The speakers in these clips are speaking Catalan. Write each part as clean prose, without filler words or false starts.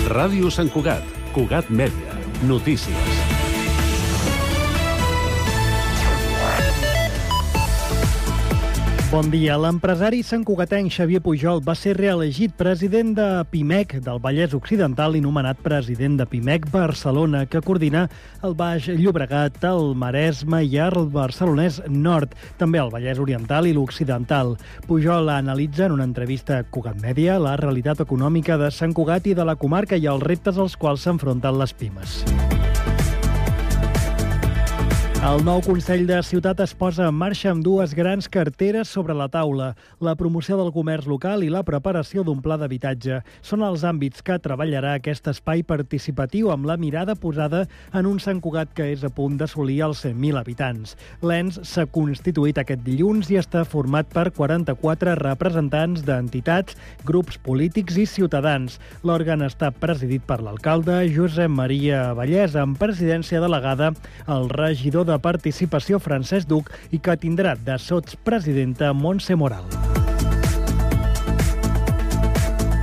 Ràdio Sant Cugat, Cugat Mèdia, notícies. Bon dia. L'empresari santcugatenc Xavier Pujol va ser reelegit president de PIMEC del Vallès Occidental i nomenat president de PIMEC Barcelona, que coordina el Baix Llobregat, el Maresme i el Barcelonès Nord, també el Vallès Oriental i l'Occidental. Pujol analitza en una entrevista a Cugat Mèdia la realitat econòmica de Sant Cugat i de la comarca i els reptes als quals s'enfronten les pimes. El nou Consell de Ciutat es posa en marxa amb dues grans carteres sobre la taula. La promoció del comerç local i la preparació d'un pla d'habitatge. Són els àmbits que treballarà aquest espai participatiu amb la mirada posada en un Sant Cugat que és a punt d'assolir els 100.000 habitants. L'ENS s'ha constituït aquest dilluns i està format per 44 representants d'entitats, grups polítics i ciutadans. L'òrgan està presidit per l'alcalde Josep Maria Vallès, amb presidència delegada el regidor de Participació Francesc Duc i que tindrà de sotspresidenta Montse Moral.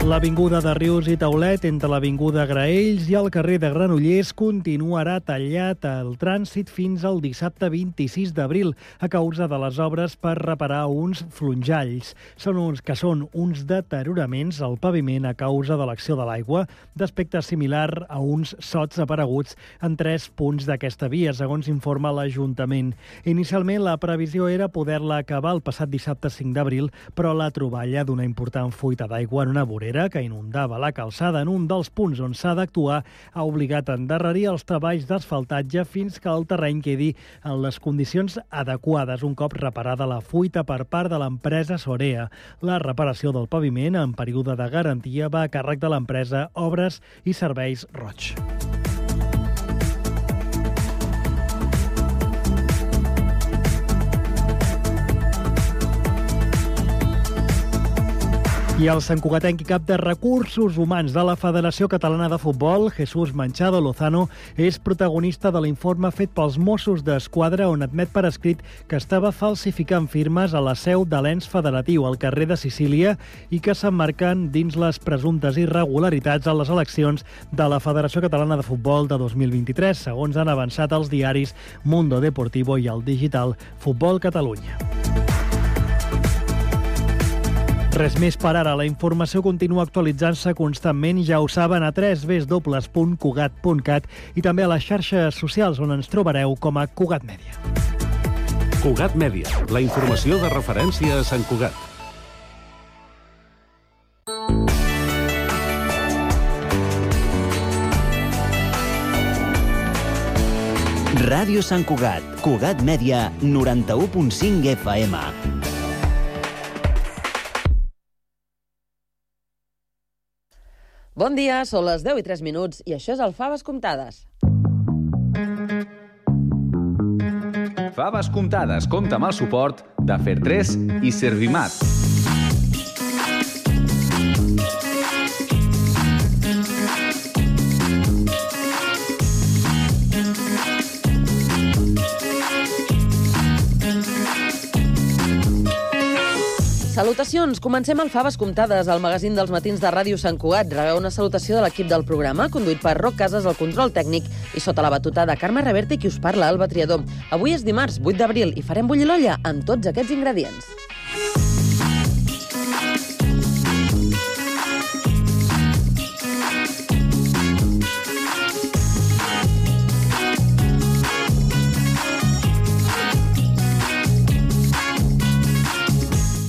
L'avinguda de Rius i Taulet, entre l'avinguda Graells i el carrer de Granollers, continuarà tallat el trànsit fins al dissabte 26 d'abril a causa de les obres per reparar uns flonjalls. Són uns deterioraments al paviment a causa de l'acció de l'aigua, d'aspecte similar a uns sots apareguts en 3 punts d'aquesta via, segons informa l'Ajuntament. Inicialment, la previsió era poder-la acabar el passat dissabte 5 d'abril, però la troballa d'una important fuita d'aigua en una vorera que inundava la calçada en un dels punts on s'ha d'actuar ha obligat a endarrerir els treballs d'asfaltatge fins que el terreny quedi en les condicions adequades un cop reparada la fuita per part de l'empresa Sorea. La reparació del paviment en període de garantia va a càrrec de l'empresa Obres i Serveis Roig. I el santcugatenc i cap de Recursos Humans de la Federació Catalana de Futbol, Jesús Manchado Lozano, és protagonista de l'informe fet pels Mossos d'Esquadra on admet per escrit que estava falsificant firmes a la seu de l'ens federatiu al carrer de Sicília i que s'emmarquen dins les presumptes irregularitats a les eleccions de la Federació Catalana de Futbol de 2023, segons han avançat els diaris Mundo Deportivo i el digital Futbol Catalunya. Res més per ara. La informació continua actualitzant-se constantment, ja ho saben, a www.cugat.cat i també a les xarxes socials on ens trobareu com a Cugat Mèdia. Cugat Mèdia, la informació de referència a Sant Cugat. Ràdio Sant Cugat, Cugat Mèdia, 91.5 FM. Bon dia, són les 10:03 i això és el Faves Comptades. Faves Comptades compta amb el suport de Fer3 i Servimat. Salutacions! Comencem el Faves Comptades, el magazín dels matins de Ràdio Sant Cugat. Rebeu una salutació de l'equip del programa, conduït per Roc Casas, el control tècnic, i sota la batuta de Carme Reverte, qui us parla, Alba Triador. Avui és dimarts, 8 d'abril, i farem bullir l'olla amb tots aquests ingredients.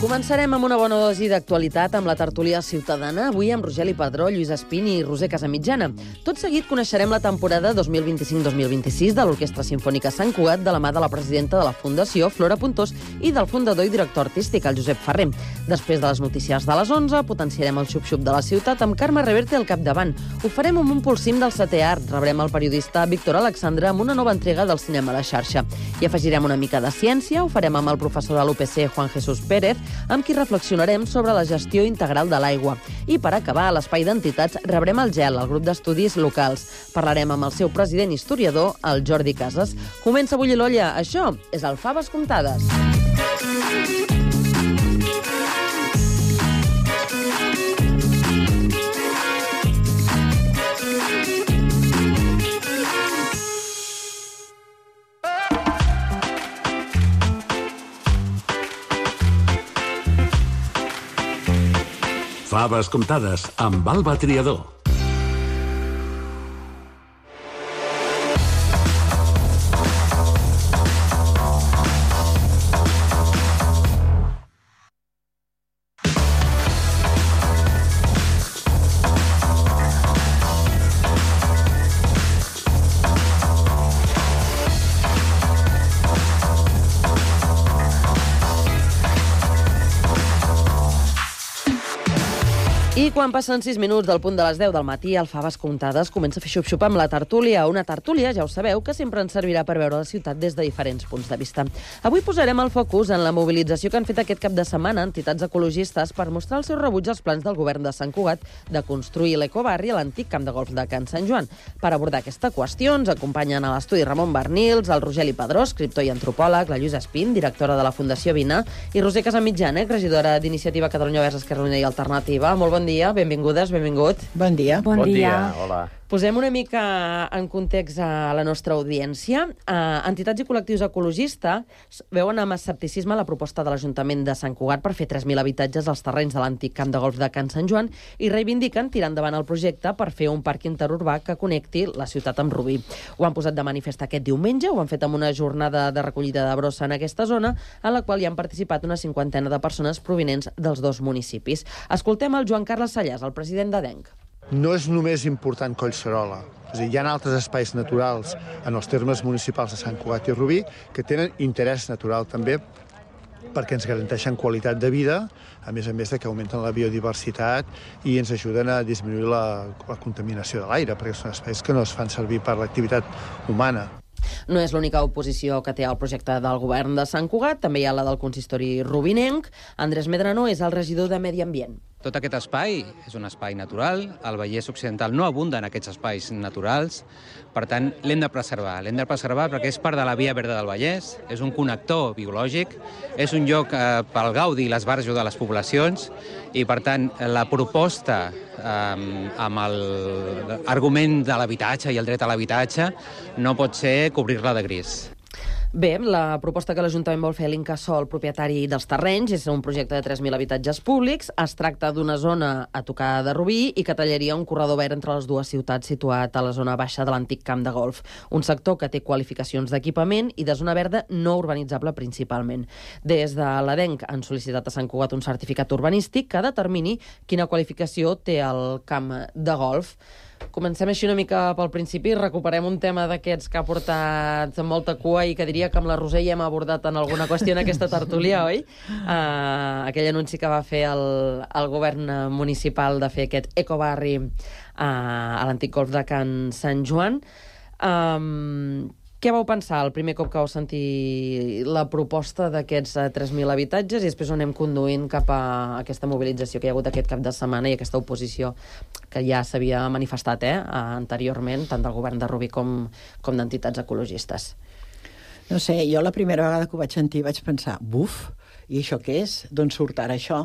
Començarem amb una bona dosi d'actualitat amb la tertúlia ciutadana, avui amb Rogeli Padró, Lluís Espini i Roser Casamitjana. Tot seguit coneixerem la temporada 2025-2026 de l'Orquestra Simfònica Sant Cugat de la mà de la presidenta de la Fundació, Flora Puntós, i del fundador i director artístic, el Josep Ferrer. Després de les notícies de les 11, potenciarem el xup-xup de la ciutat amb Carme Reverte al capdavant. Ho farem amb un pulsim del setè art. Rebrem el periodista Víctor Alexandre amb una nova entrega del cinema a la xarxa. I afegirem una mica de ciència, ho farem amb el professor de l'UPC, Juan Jesús Pérez, amb qui reflexionarem sobre la gestió integral de l'aigua. I per acabar, a l'espai d'entitats rebrem el GEL, el grup d'estudis locals. Parlarem amb el seu president historiador, el Jordi Casas. Comença a bullir l'olla. Això és el Faves Comptades. Faves comptades amb Alba Triador. I quan passen 6 minuts del punt de les 10 del matí, el Faves Comptades comença a fer xup-xup amb la tertúlia. Una tertúlia, ja ho sabeu, que sempre ens servirà per veure la ciutat des de diferents punts de vista. Avui posarem el focus en la mobilització que han fet aquest cap de setmana entitats ecologistes per mostrar el seu rebuig als plans del govern de Sant Cugat de construir l'ecobarri a l'antic camp de golf de Can Sant Joan. Per abordar aquesta qüestió ens acompanyen a l'estudi Ramon Bernils, el Rogeli Padró, escriptor i antropòleg, la Lluïsa Espín, directora de la Fundació Vina, i Roser Casamitjana, regidora d'Iniciativa Catalunya Verds Esquerra Unida i Alternativa. Molt bon dia, benvingudes, benvingut. Bon dia. Bon dia. Hola. Posem una mica en context a la nostra audiència. Entitats i col·lectius ecologistes veuen amb escepticisme la proposta de l'Ajuntament de Sant Cugat per fer 3.000 habitatges als terrenys de l'antic camp de golf de Can Sant Joan i reivindiquen tirar endavant el projecte per fer un parc interurbà que connecti la ciutat amb Rubí. Ho han posat de manifest aquest diumenge, ho han fet amb una jornada de recollida de brossa en aquesta zona, en la qual hi han participat una 50 de persones provinents dels dos municipis. Escoltem el Joan Carles Sallàs, el president d'ADENC. No és només important Collserola. És a dir, hi ha altres espais naturals en els termes municipals de Sant Cugat i Rubí que tenen interès natural també perquè ens garanteixen qualitat de vida, a més de que augmenten la biodiversitat i ens ajuden a disminuir la contaminació de l'aire, perquè són espais que no es fan servir per l'activitat humana. No és l'única oposició que té al projecte del govern de Sant Cugat, també hi ha la del consistori rubinenc. Andrés Medrano és el regidor de Medi Ambient. Tot aquest espai és un espai natural, el Vallès Occidental no abunda en aquests espais naturals, per tant l'hem de preservar perquè és part de la Via Verda del Vallès, és un connector biològic, és un lloc pel gaudi i l'esbarjo de les poblacions i per tant la proposta amb l'argument de l'habitatge i el dret a l'habitatge no pot ser cobrir-la de gris. Bé, la proposta que l'Ajuntament vol fer a l'Incasòl, propietari dels terrenys, és un projecte de 3.000 habitatges públics. Es tracta d'una zona a tocar de Rubí i que tallaria un corredor verd entre les dues ciutats situat a la zona baixa de l'antic camp de golf. Un sector que té qualificacions d'equipament i de zona verda no urbanitzable principalment. Des de l'ADENC han sol·licitat a Sant Cugat un certificat urbanístic que determini quina qualificació té el camp de golf. Comencem així una mica pel principi, recuperem un tema d'aquests que ha portat molta cua i que diria que amb la Roser ja hem abordat en alguna qüestió en aquesta tertúlia, oi? Aquell anunci que va fer el govern municipal de fer aquest ecobarri a l'antic golf de Can Sant Joan. Què vau pensar el primer cop que vau sentir la proposta d'aquests 3.000 habitatges i després on anem conduint cap a aquesta mobilització que hi ha hagut aquest cap de setmana i aquesta oposició que ja s'havia manifestat anteriorment, tant del govern de Rubí com d'entitats ecologistes? No sé, jo la primera vegada que ho vaig sentir vaig pensar, buf, i això què és? D'on surt ara això?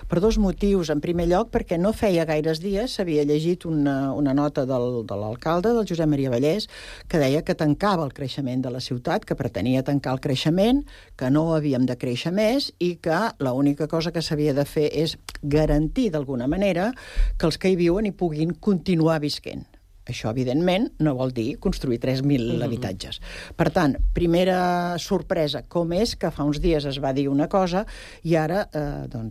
Per dos motius. En primer lloc, perquè no feia gaires dies s'havia llegit una nota de l'alcalde, del Josep Maria Vallès, que deia que tancava el creixement de la ciutat, que pretenia tancar el creixement, que no havíem de créixer més i que l'única cosa que s'havia de fer és garantir d'alguna manera que els que hi viuen hi puguin continuar visquent. Això, evidentment, no vol dir construir 3.000 habitatges. Per tant, primera sorpresa, com és que fa uns dies es va dir una cosa i ara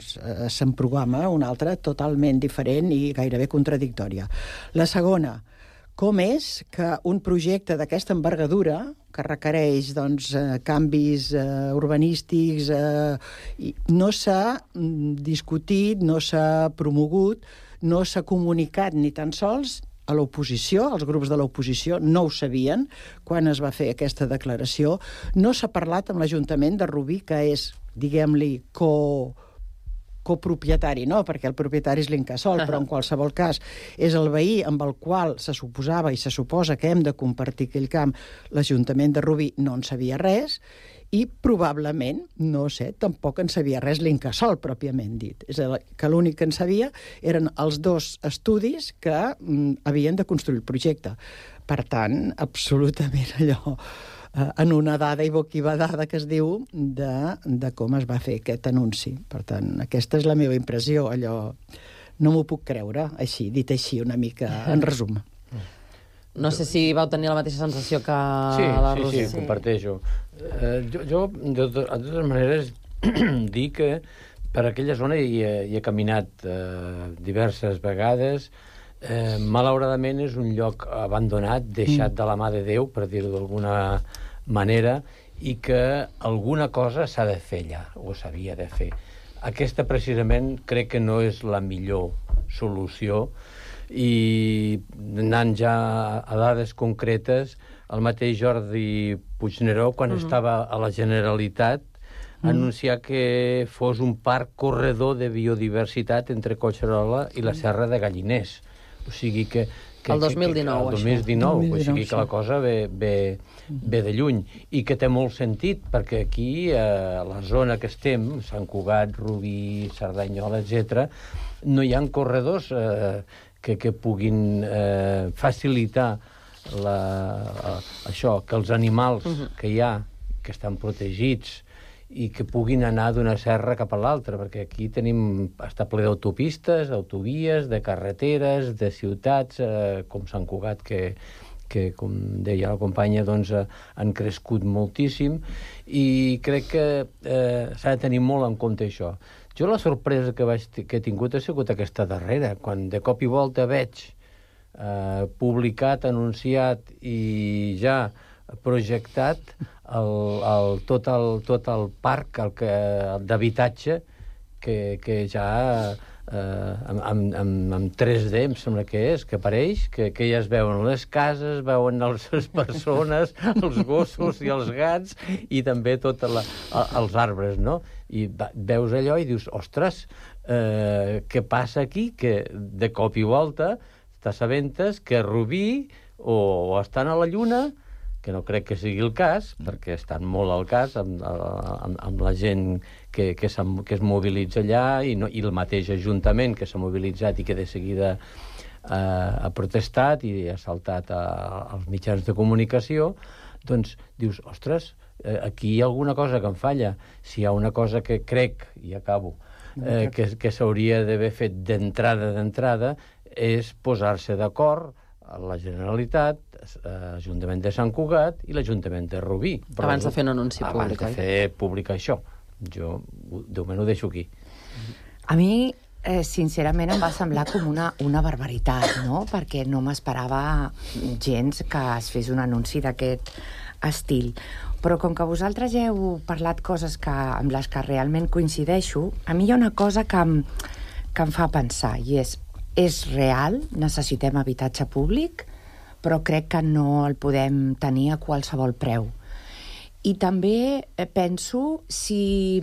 se'n programa una altra totalment diferent i gairebé contradictòria. La segona, com és que un projecte d'aquesta envergadura, que requereix canvis urbanístics, no s'ha discutit, no s'ha promogut, no s'ha comunicat ni tan sols a l'oposició, els grups de l'oposició no ho sabien quan es va fer aquesta declaració. No s'ha parlat amb l'Ajuntament de Rubí, que és, diguem-li, copropietari, no, perquè el propietari és l'Incasòl, però en qualsevol cas és el veí amb el qual se suposava i se suposa que hem de compartir aquell camp. L'Ajuntament de Rubí no en sabia res i probablement, no sé, tampoc en sabia res l'Incasòl, pròpiament dit. És a dir, que l'únic que en sabia eren els dos estudis que havien de construir el projecte. Per tant, absolutament allò en una dada i boquibadada que es diu de com es va fer aquest anunci. Per tant, aquesta és la meva impressió, allò No m'ho puc creure, així, dit així, una mica, en resum. No sé si vau tenir la mateixa sensació que la Roser. Sí, comparteixo. Jo, de totes maneres, dic que per aquella zona hi he caminat diverses vegades. Malauradament és un lloc abandonat, deixat de la mà de Déu, per dir-ho d'alguna manera, i que alguna cosa s'ha de fer allà, o s'havia de fer. Aquesta, precisament, crec que no és la millor solució, i anant ja a dades concretes, el mateix Jordi Puigneró, quan estava a la Generalitat, anunciar que fos un parc corredor de biodiversitat entre Collserola i la Serra de Galliners. O sigui que el 2019, el 2019, o sigui que la cosa ve de lluny, i que té molt sentit, perquè aquí, a la zona que estem, Sant Cugat, Rubí, Cerdanyola, etc., no hi ha corredors que puguin facilitar això, que els animals que hi ha, que estan protegits, i que puguin anar d'una serra cap a l'altra, perquè aquí està ple d'autopistes, d'autovies, de carreteres, de ciutats, com Sant Cugat, que com deia la companya, doncs, han crescut moltíssim, i crec que s'ha de tenir molt en compte això. Jo la sorpresa que he tingut ha sigut aquesta darrera, quan de cop i volta veig publicat, anunciat i ja projectat tot el parc d'habitatge que ja amb 3D em sembla que és, que apareix, que ja es veuen les cases, veuen les persones, els gossos i els gats, i també tots els arbres, no? I veus allò i dius, ostres, què passa aquí? Que de cop i volta t'assabentes que Rubí o estan a la Lluna, que no crec que sigui el cas, perquè estan molt al cas amb la gent que es mobilitza allà, i el mateix Ajuntament que s'ha mobilitzat i que de seguida ha protestat i ha saltat als mitjans de comunicació, doncs dius, ostres, aquí hi ha alguna cosa que em falla. Si hi ha una cosa que crec, i acabo, que s'hauria d'haver fet d'entrada, és posar-se d'acord a la Generalitat, l'Ajuntament de Sant Cugat i l'Ajuntament de Rubí. Abans de fer un anunci públic, Abans de fer públic això. Jo, de moment, ho deixo aquí. A mi, sincerament, em va semblar com una barbaritat, no? Perquè no m'esperava gens que es fes un anunci d'aquest estil. Però com que vosaltres ja heu parlat coses amb les que realment coincideixo, a mi hi ha una cosa que em fa pensar, i és real, necessitem habitatge públic, però crec que no el podem tenir a qualsevol preu. I també penso si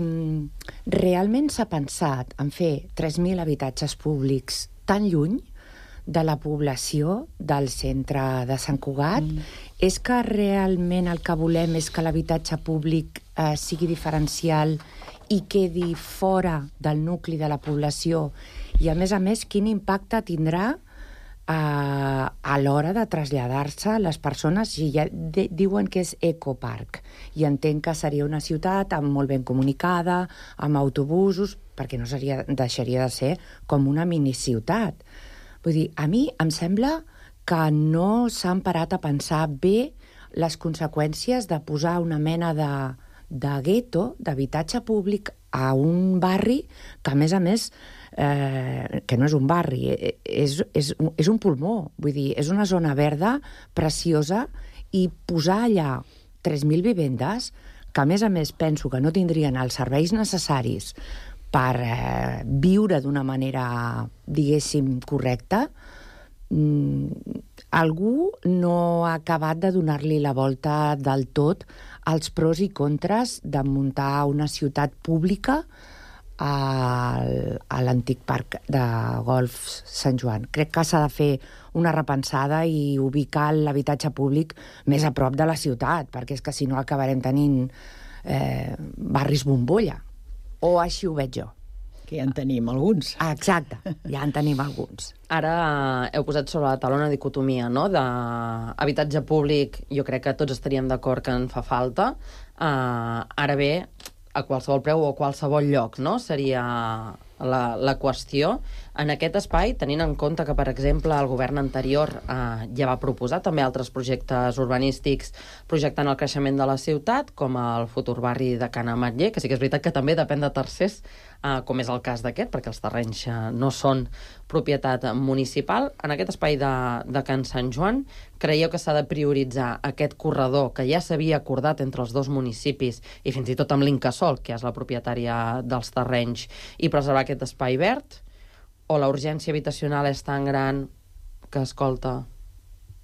realment s'ha pensat en fer 3.000 habitatges públics tan lluny de la població del centre de Sant Cugat, és que realment el que volem és que l'habitatge públic sigui diferencial i quedi fora del nucli de la població, i a més, quin impacte tindrà a l'hora de traslladar-se les persones, si ja diuen que és ecoparc, i entenc que seria una ciutat molt ben comunicada, amb autobusos, perquè no deixaria de ser com una miniciutat. Vull dir, a mi em sembla que no s'han parat a pensar bé les conseqüències de posar una mena de gueto, d'habitatge públic, a un barri que, a més, que no és un barri, és un pulmó, vull dir, és una zona verda preciosa, i posar allà 3.000 vivendes, que a més penso que no tindrien els serveis necessaris per viure d'una manera, diguéssim, correcta, algú no ha acabat de donar-li la volta del tot als pros i contres de muntar una ciutat pública a l'antic parc de golf Sant Joan. Crec que s'ha de fer una repensada i ubicar l'habitatge públic més a prop de la ciutat, perquè és que si no acabarem tenint barris bombolla. O així ho veig jo. Que ja en tenim alguns. Exacte, ja en tenim alguns. Ara heu posat sobre la taula una dicotomia, no?, d'habitatge públic. Jo crec que tots estaríem d'acord que en fa falta. Ara bé, a qualsevol preu o a qualsevol lloc, no?, seria la qüestió. En aquest espai, tenint en compte que, per exemple, el govern anterior ja va proposar també altres projectes urbanístics projectant el creixement de la ciutat, com el futur barri de Can Ametller, que sí que és veritat que també depèn de tercers, com és el cas d'aquest, perquè els terrenys no són propietat municipal. En aquest espai de Can Sant Joan, creieu que s'ha de prioritzar aquest corredor que ja s'havia acordat entre els dos municipis i fins i tot amb l'Incasòl, que és la propietària dels terrenys, i preservar aquest espai verd? O la urgència habitacional és tan gran que, escolta,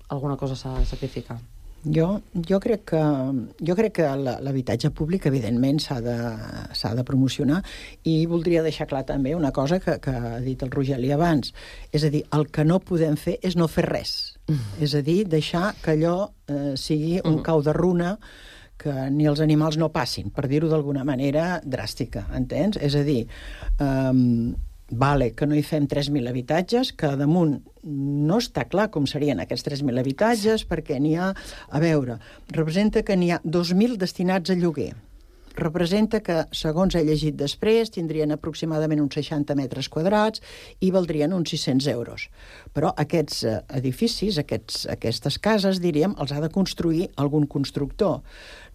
alguna cosa s'ha de sacrificar? Jo crec que l'habitatge públic, evidentment, s'ha de promocionar, i voldria deixar clar també una cosa que ha dit el Rogeli abans. És a dir, el que no podem fer és no fer res. És a dir, deixar que allò sigui un cau de runa que ni els animals no passin, per dir-ho d'alguna manera dràstica, entens? És a dir, vale, que no hi fem 3.000 habitatges, que damunt no està clar com serien aquests 3.000 habitatges, perquè n'hi ha, a veure, representa que n'hi ha 2.000 destinats a lloguer. Representa que, segons he llegit després, tindrien aproximadament uns 60 metres quadrats i valdrien uns 600 euros. Però aquests edificis, aquestes cases, diríem, els ha de construir algun constructor.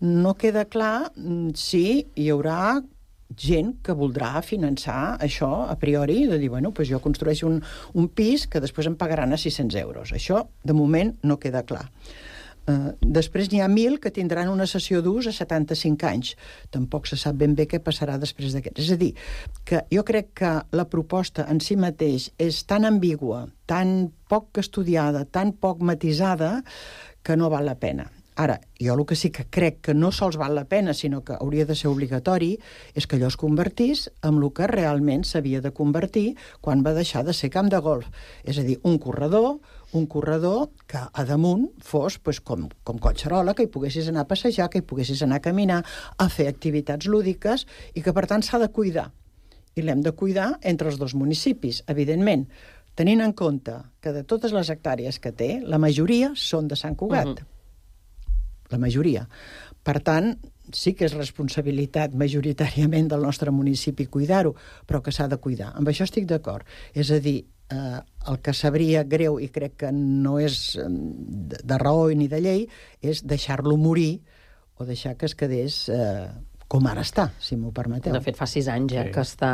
No queda clar si hi haurà gent que voldrà finançar això a priori, de dir, bueno, doncs jo construeixo un pis que després em pagaran a 600 euros. Això, de moment, no queda clar. Després n'hi ha 1.000 que tindran una cessió d'ús a 75 anys. Tampoc se sap ben bé què passarà després d'aquest. És a dir, que jo crec que la proposta en si mateix és tan ambigua, tan poc estudiada, tan poc matisada, que no val la pena. Ara, jo el que sí que crec que no sols val la pena, sinó que hauria de ser obligatori, és que allò es convertís en el que realment s'havia de convertir quan va deixar de ser camp de golf. És a dir, un corredor que a damunt fos com Collserola, que hi poguessis anar a passejar, que hi poguessis anar a caminar, a fer activitats lúdiques, i que, per tant, s'ha de cuidar. I l'hem de cuidar entre els dos municipis, evidentment, tenint en compte que de totes les hectàrees que té, la majoria són de Sant Cugat. La majoria. Per tant, sí que és responsabilitat majoritàriament del nostre municipi cuidar-ho, però que s'ha de cuidar. Amb això estic d'acord. És a dir, el que sabria greu, i crec que no és de raó ni de llei, és deixar-lo morir o deixar que es quedés com ara està, si m'ho permeteu. De fet, fa 6 anys que està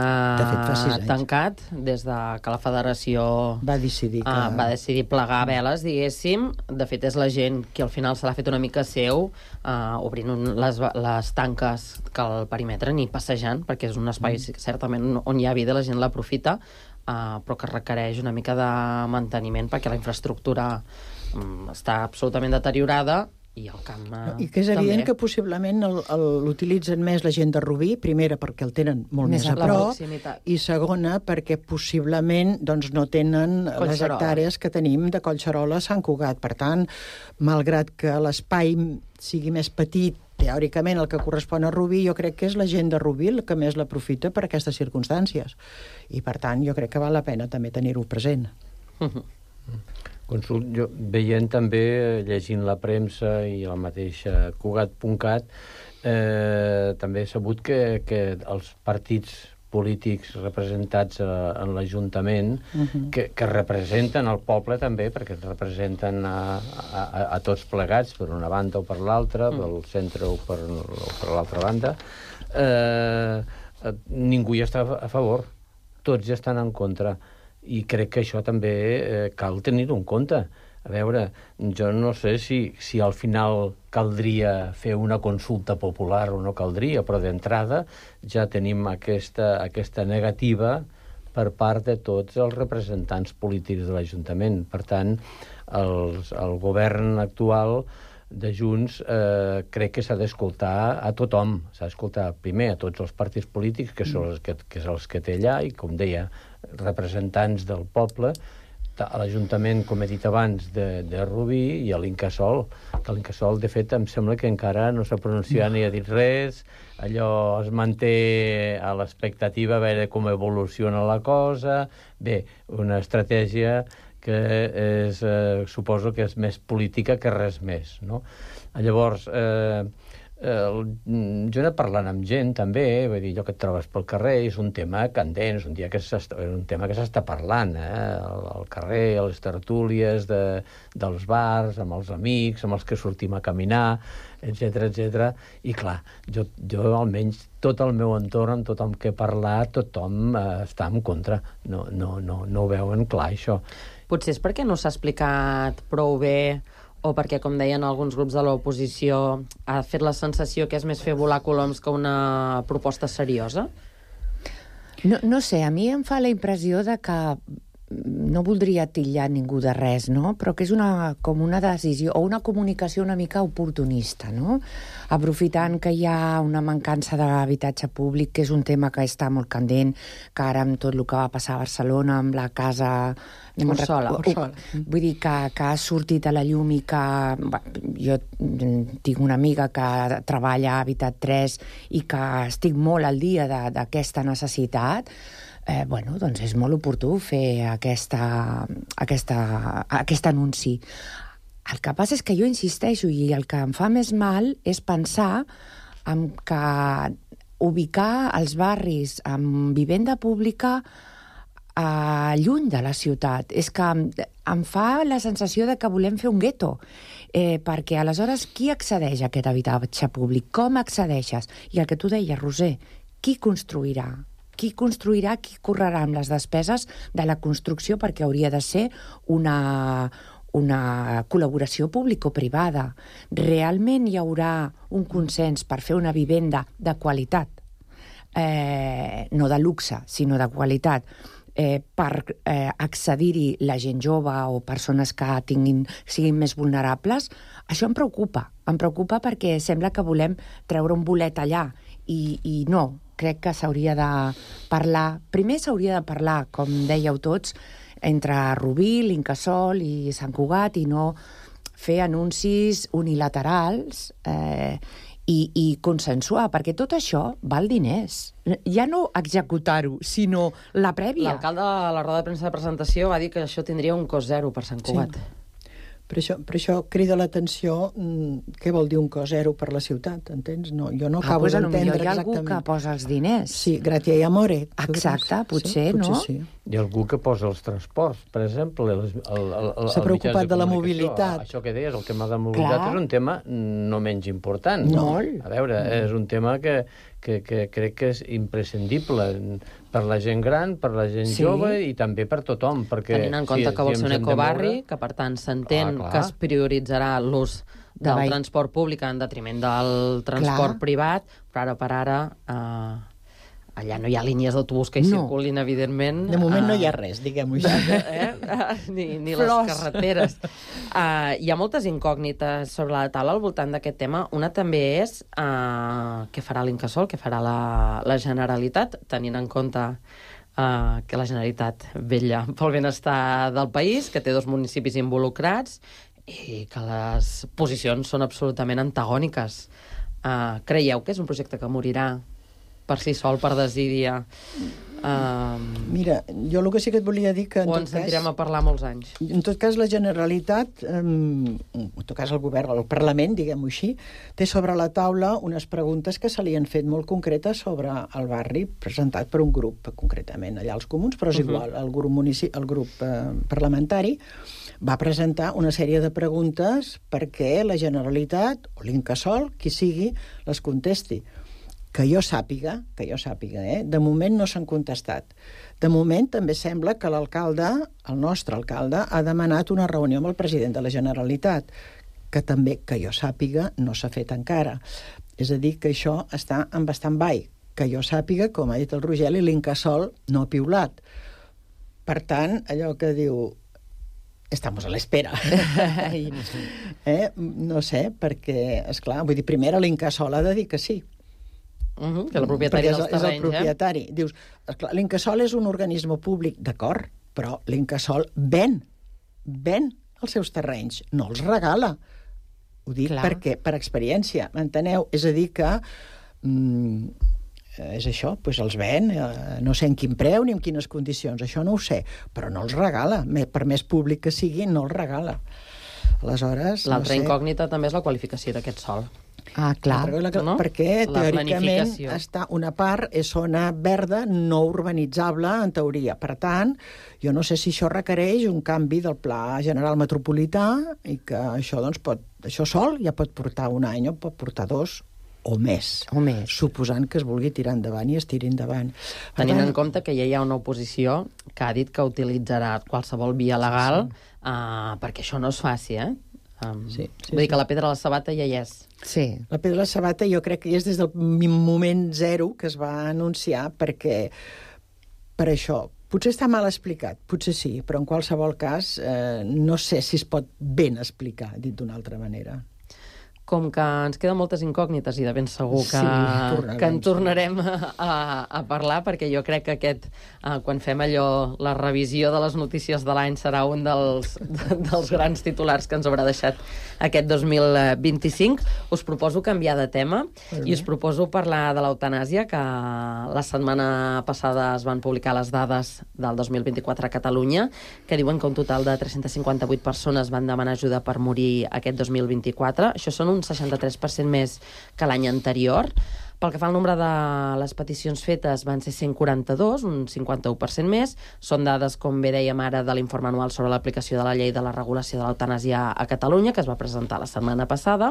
tancat, des de que la federació va decidir plegar veles, diguéssim. De fet, és la gent que al final se l'ha fet una mica seu, obrint les tanques que al perímetre, ni passejant, perquè és un espai certament on hi ha vida, la gent l'aprofita, però que requereix una mica de manteniment perquè la infraestructura està absolutament deteriorada, i el camp i que és evident que possiblement l'utilitzen més la gent de Rubí, primera perquè el tenen molt més a prop, i segona perquè possiblement no tenen les hectàrees que tenim de Collserola a Sant Cugat. Per tant, malgrat que l'espai sigui més petit, teòricament el que correspon a Rubí, jo crec que és la gent de Rubí el que més l'aprofita per aquestes circumstàncies. I per tant, jo crec que val la pena també tenir-ho present. Jo veient també, llegint la premsa i la mateixa Cugat.cat, també he sabut que els partits polítics representats en l'Ajuntament, que representen el poble també, perquè representen a tots plegats, per una banda o per l'altra, pel centre o per l'altra banda, ningú hi està a favor, tots hi estan en contra. I crec que això també cal tenir-ho en compte. A veure, jo no sé si al final caldria fer una consulta popular o no caldria, però d'entrada ja tenim aquesta negativa per part de tots els representants polítics de l'Ajuntament. Per tant, el govern actual de Junts crec que s'ha d'escoltar a tothom. S'ha d'escoltar primer a tots els partits polítics, que són els que té allà, i, com deia, representants del poble, a l'Ajuntament, com he dit abans, de Rubí, i a l'Incasòl, que l'Incasòl, de fet, em sembla que encara no s'ha pronunciat ni ha dit res, allò es manté a l'expectativa a veure com evoluciona la cosa. Bé, una estratègia que suposo que és més política que res més, no? Llavors, jo he anat parlant amb gent, també, vull dir, allò que et trobes pel carrer és un tema candent, és un tema que s'està parlant, al carrer, a les tertúlies dels bars, amb els amics, amb els que sortim a caminar, etc. I clar, jo almenys tot el meu entorn, amb tothom que he parlat, tothom està en contra. No ho veuen clar, això. Potser és perquè no s'ha explicat prou bé, o perquè, com deien alguns grups de l'oposició, ha fet la sensació que és més fer volar coloms que una proposta seriosa? No sé, a mi em fa la impressió de que no voldria titllar ningú de res, no? Però que és com una decisió o una comunicació una mica oportunista, no? Aprofitant que hi ha una mancança d'habitatge públic, que és un tema que està molt candent, que ara amb tot el que va passar a Barcelona, amb la casa... Ursola. Vull dir que ha sortit a la llum i que... Jo tinc una amiga que treballa a Habitat 3 i que estic molt al dia d'aquesta necessitat. Doncs és molt oportú fer aquest anunci. El que passa és que jo insisteixo, i el que em fa més mal és pensar en que ubicar els barris amb vivenda pública lluny de la ciutat. És que em fa la sensació de que volem fer un gueto, perquè aleshores qui accedeix a aquest habitatge públic? Com accedeixes? I el que tu deies, Roser, qui construirà? Qui correrà amb les despeses de la construcció, perquè hauria de ser una col·laboració público-privada. Realment hi haurà un consens per fer una vivenda de qualitat, no de luxe, sinó de qualitat, per accedir-hi la gent jove o persones que siguin més vulnerables? Això em preocupa perquè sembla que volem treure un bolet allà i no. Crec que s'hauria de parlar... Primer s'hauria de parlar, com dèieu tots, entre Rubí, l'Incasòl i Sant Cugat, i no fer anuncis unilaterals i consensuar, perquè tot això val diners. Ja no executar-ho, sinó la prèvia. L'alcalde a la roda de premsa de presentació va dir que això tindria un cost zero per Sant Cugat. Sí. Per això crida l'atenció què vol dir un cost zero per la ciutat, entens? No, jo no acabo d'entendre exactament. Hi ha algú que posa els diners. Sí, gratia i amore. Exacte, potser, no? Sí. Hi ha algú que posa els transports, per exemple. S'ha preocupat de la mobilitat. Això que deies, el tema de mobilitat és un tema no menys important. Molt. A veure, és un tema que crec que és imprescindible per la gent gran, per la gent jove i també per tothom. Tenint en compte que vol ser un ecobarri, que per tant s'entén que es prioritzarà l'ús del transport públic en detriment del transport privat, però ara per ara allà no hi ha línies d'autobús que hi circulin, evidentment. De moment no hi ha res, diguem-ho així. Ni les carreteres. Hi ha moltes incògnites sobre la taula al voltant d'aquest tema. Una també és què farà l'Incasòl, què farà la Generalitat, tenint en compte que la Generalitat vetlla pel benestar del país, que té 2 municipis involucrats i que les posicions són absolutament antagòniques. Creieu que és un projecte que morirà per si sol, per desídia? Mira, jo el que sí que et volia dir que... O ens sentirem a parlar molts anys? En tot cas, la Generalitat, en tot cas el govern, el Parlament, diguem-ho així, té sobre la taula unes preguntes que se li han fet molt concretes sobre el barri, presentat per un grup, concretament allà els comuns, però és igual, el grup parlamentari va presentar una sèrie de preguntes perquè la Generalitat, o l'Incasòl, qui sigui, les contesti. Que jo sàpiga, de moment no s'han contestat. De moment també sembla que l'alcalde, el nostre alcalde, ha demanat una reunió amb el president de la Generalitat, que també, que jo sàpiga, no s'ha fet encara. És a dir, que això està en stand-by. Que jo sàpiga, com ha dit el Rogeli, l'Incasòl no ha piulat. Per tant, allò que diu... Estamos a l'espera. No sé, perquè, esclar, vull dir, primer l'Incasòl ha de dir que sí. Que el propietari dels terrenys, és el propietari. Dius, l'Incasòl és un organisme públic, d'acord, però l'Incasòl ven els seus terrenys, no els regala. Ho dic perquè, per experiència, m'enteneu? És a dir que és això, doncs els ven, no sé en quin preu ni en quines condicions, això no ho sé, però no els regala. Per més públic que sigui, no els regala. Aleshores, l'altra incògnita també és la qualificació d'aquest sòl. Clar. No? Perquè, La teòricament, planificació. una part és zona verda no urbanitzable, en teoria. Per tant, jo no sé si això requereix un canvi del pla general metropolità i que això, doncs, això sol ja pot portar un any o pot portar 2 o més. Suposant que es vulgui tirar endavant i es tiri endavant. Tenint en compte que ja hi ha una oposició que ha dit que utilitzarà qualsevol via legal perquè això no es faci, vull dir que la pedra a la sabata ja hi és. Sí. La pedra a la sabata jo crec que ja és des del moment zero que es va anunciar, perquè per això potser està mal explicat, potser sí, però en qualsevol cas no sé si es pot ben explicar, dit d'una altra manera. Com que ens queden moltes incògnites i de ben segur que en tornarem a parlar, perquè jo crec que quan fem la revisió de les notícies de l'any serà un dels grans titulars que ens haurà deixat aquest 2025. Us proposo canviar de tema i us proposo parlar de l'eutanàsia, que la setmana passada es van publicar les dades del 2024 a Catalunya, que diuen que un total de 358 persones van demanar ajuda per morir aquest 2024. Això són un 63% més que l'any anterior. Pel que fa al nombre de les peticions fetes van ser 142, un 51% més. Són dades, com bé dèiem ara, de l'informe anual sobre l'aplicació de la llei de la regulació de l'eutanàsia a Catalunya, que es va presentar la setmana passada.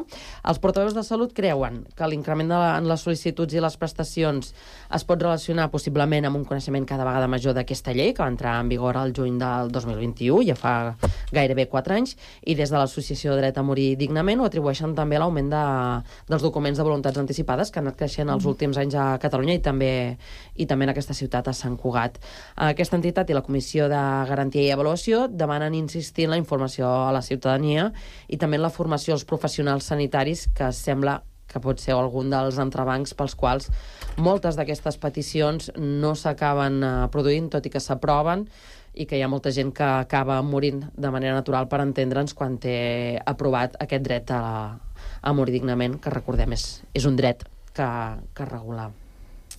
Els portaveus de Salut creuen que l'increment en les sol·licituds i les prestacions es pot relacionar possiblement amb un coneixement cada vegada major d'aquesta llei, que va entrar en vigor al juny del 2021, ja fa gairebé 4 anys, i des de l'Associació Dret a Morir Dignament ho atribueixen també a l'augment dels documents de voluntats anticipades que han anat creixent els últims anys a Catalunya i també en aquesta ciutat, a Sant Cugat. Aquesta entitat i la Comissió de Garantia i Avaluació demanen insistir en la informació a la ciutadania i també en la formació als professionals sanitaris, que sembla que pot ser algun dels entrebancs pels quals moltes d'aquestes peticions no s'acaben produint, tot i que s'aproven, i que hi ha molta gent que acaba morint de manera natural, per entendre'ns, quan té aprovat aquest dret a morir dignament, que recordem és un dret que regula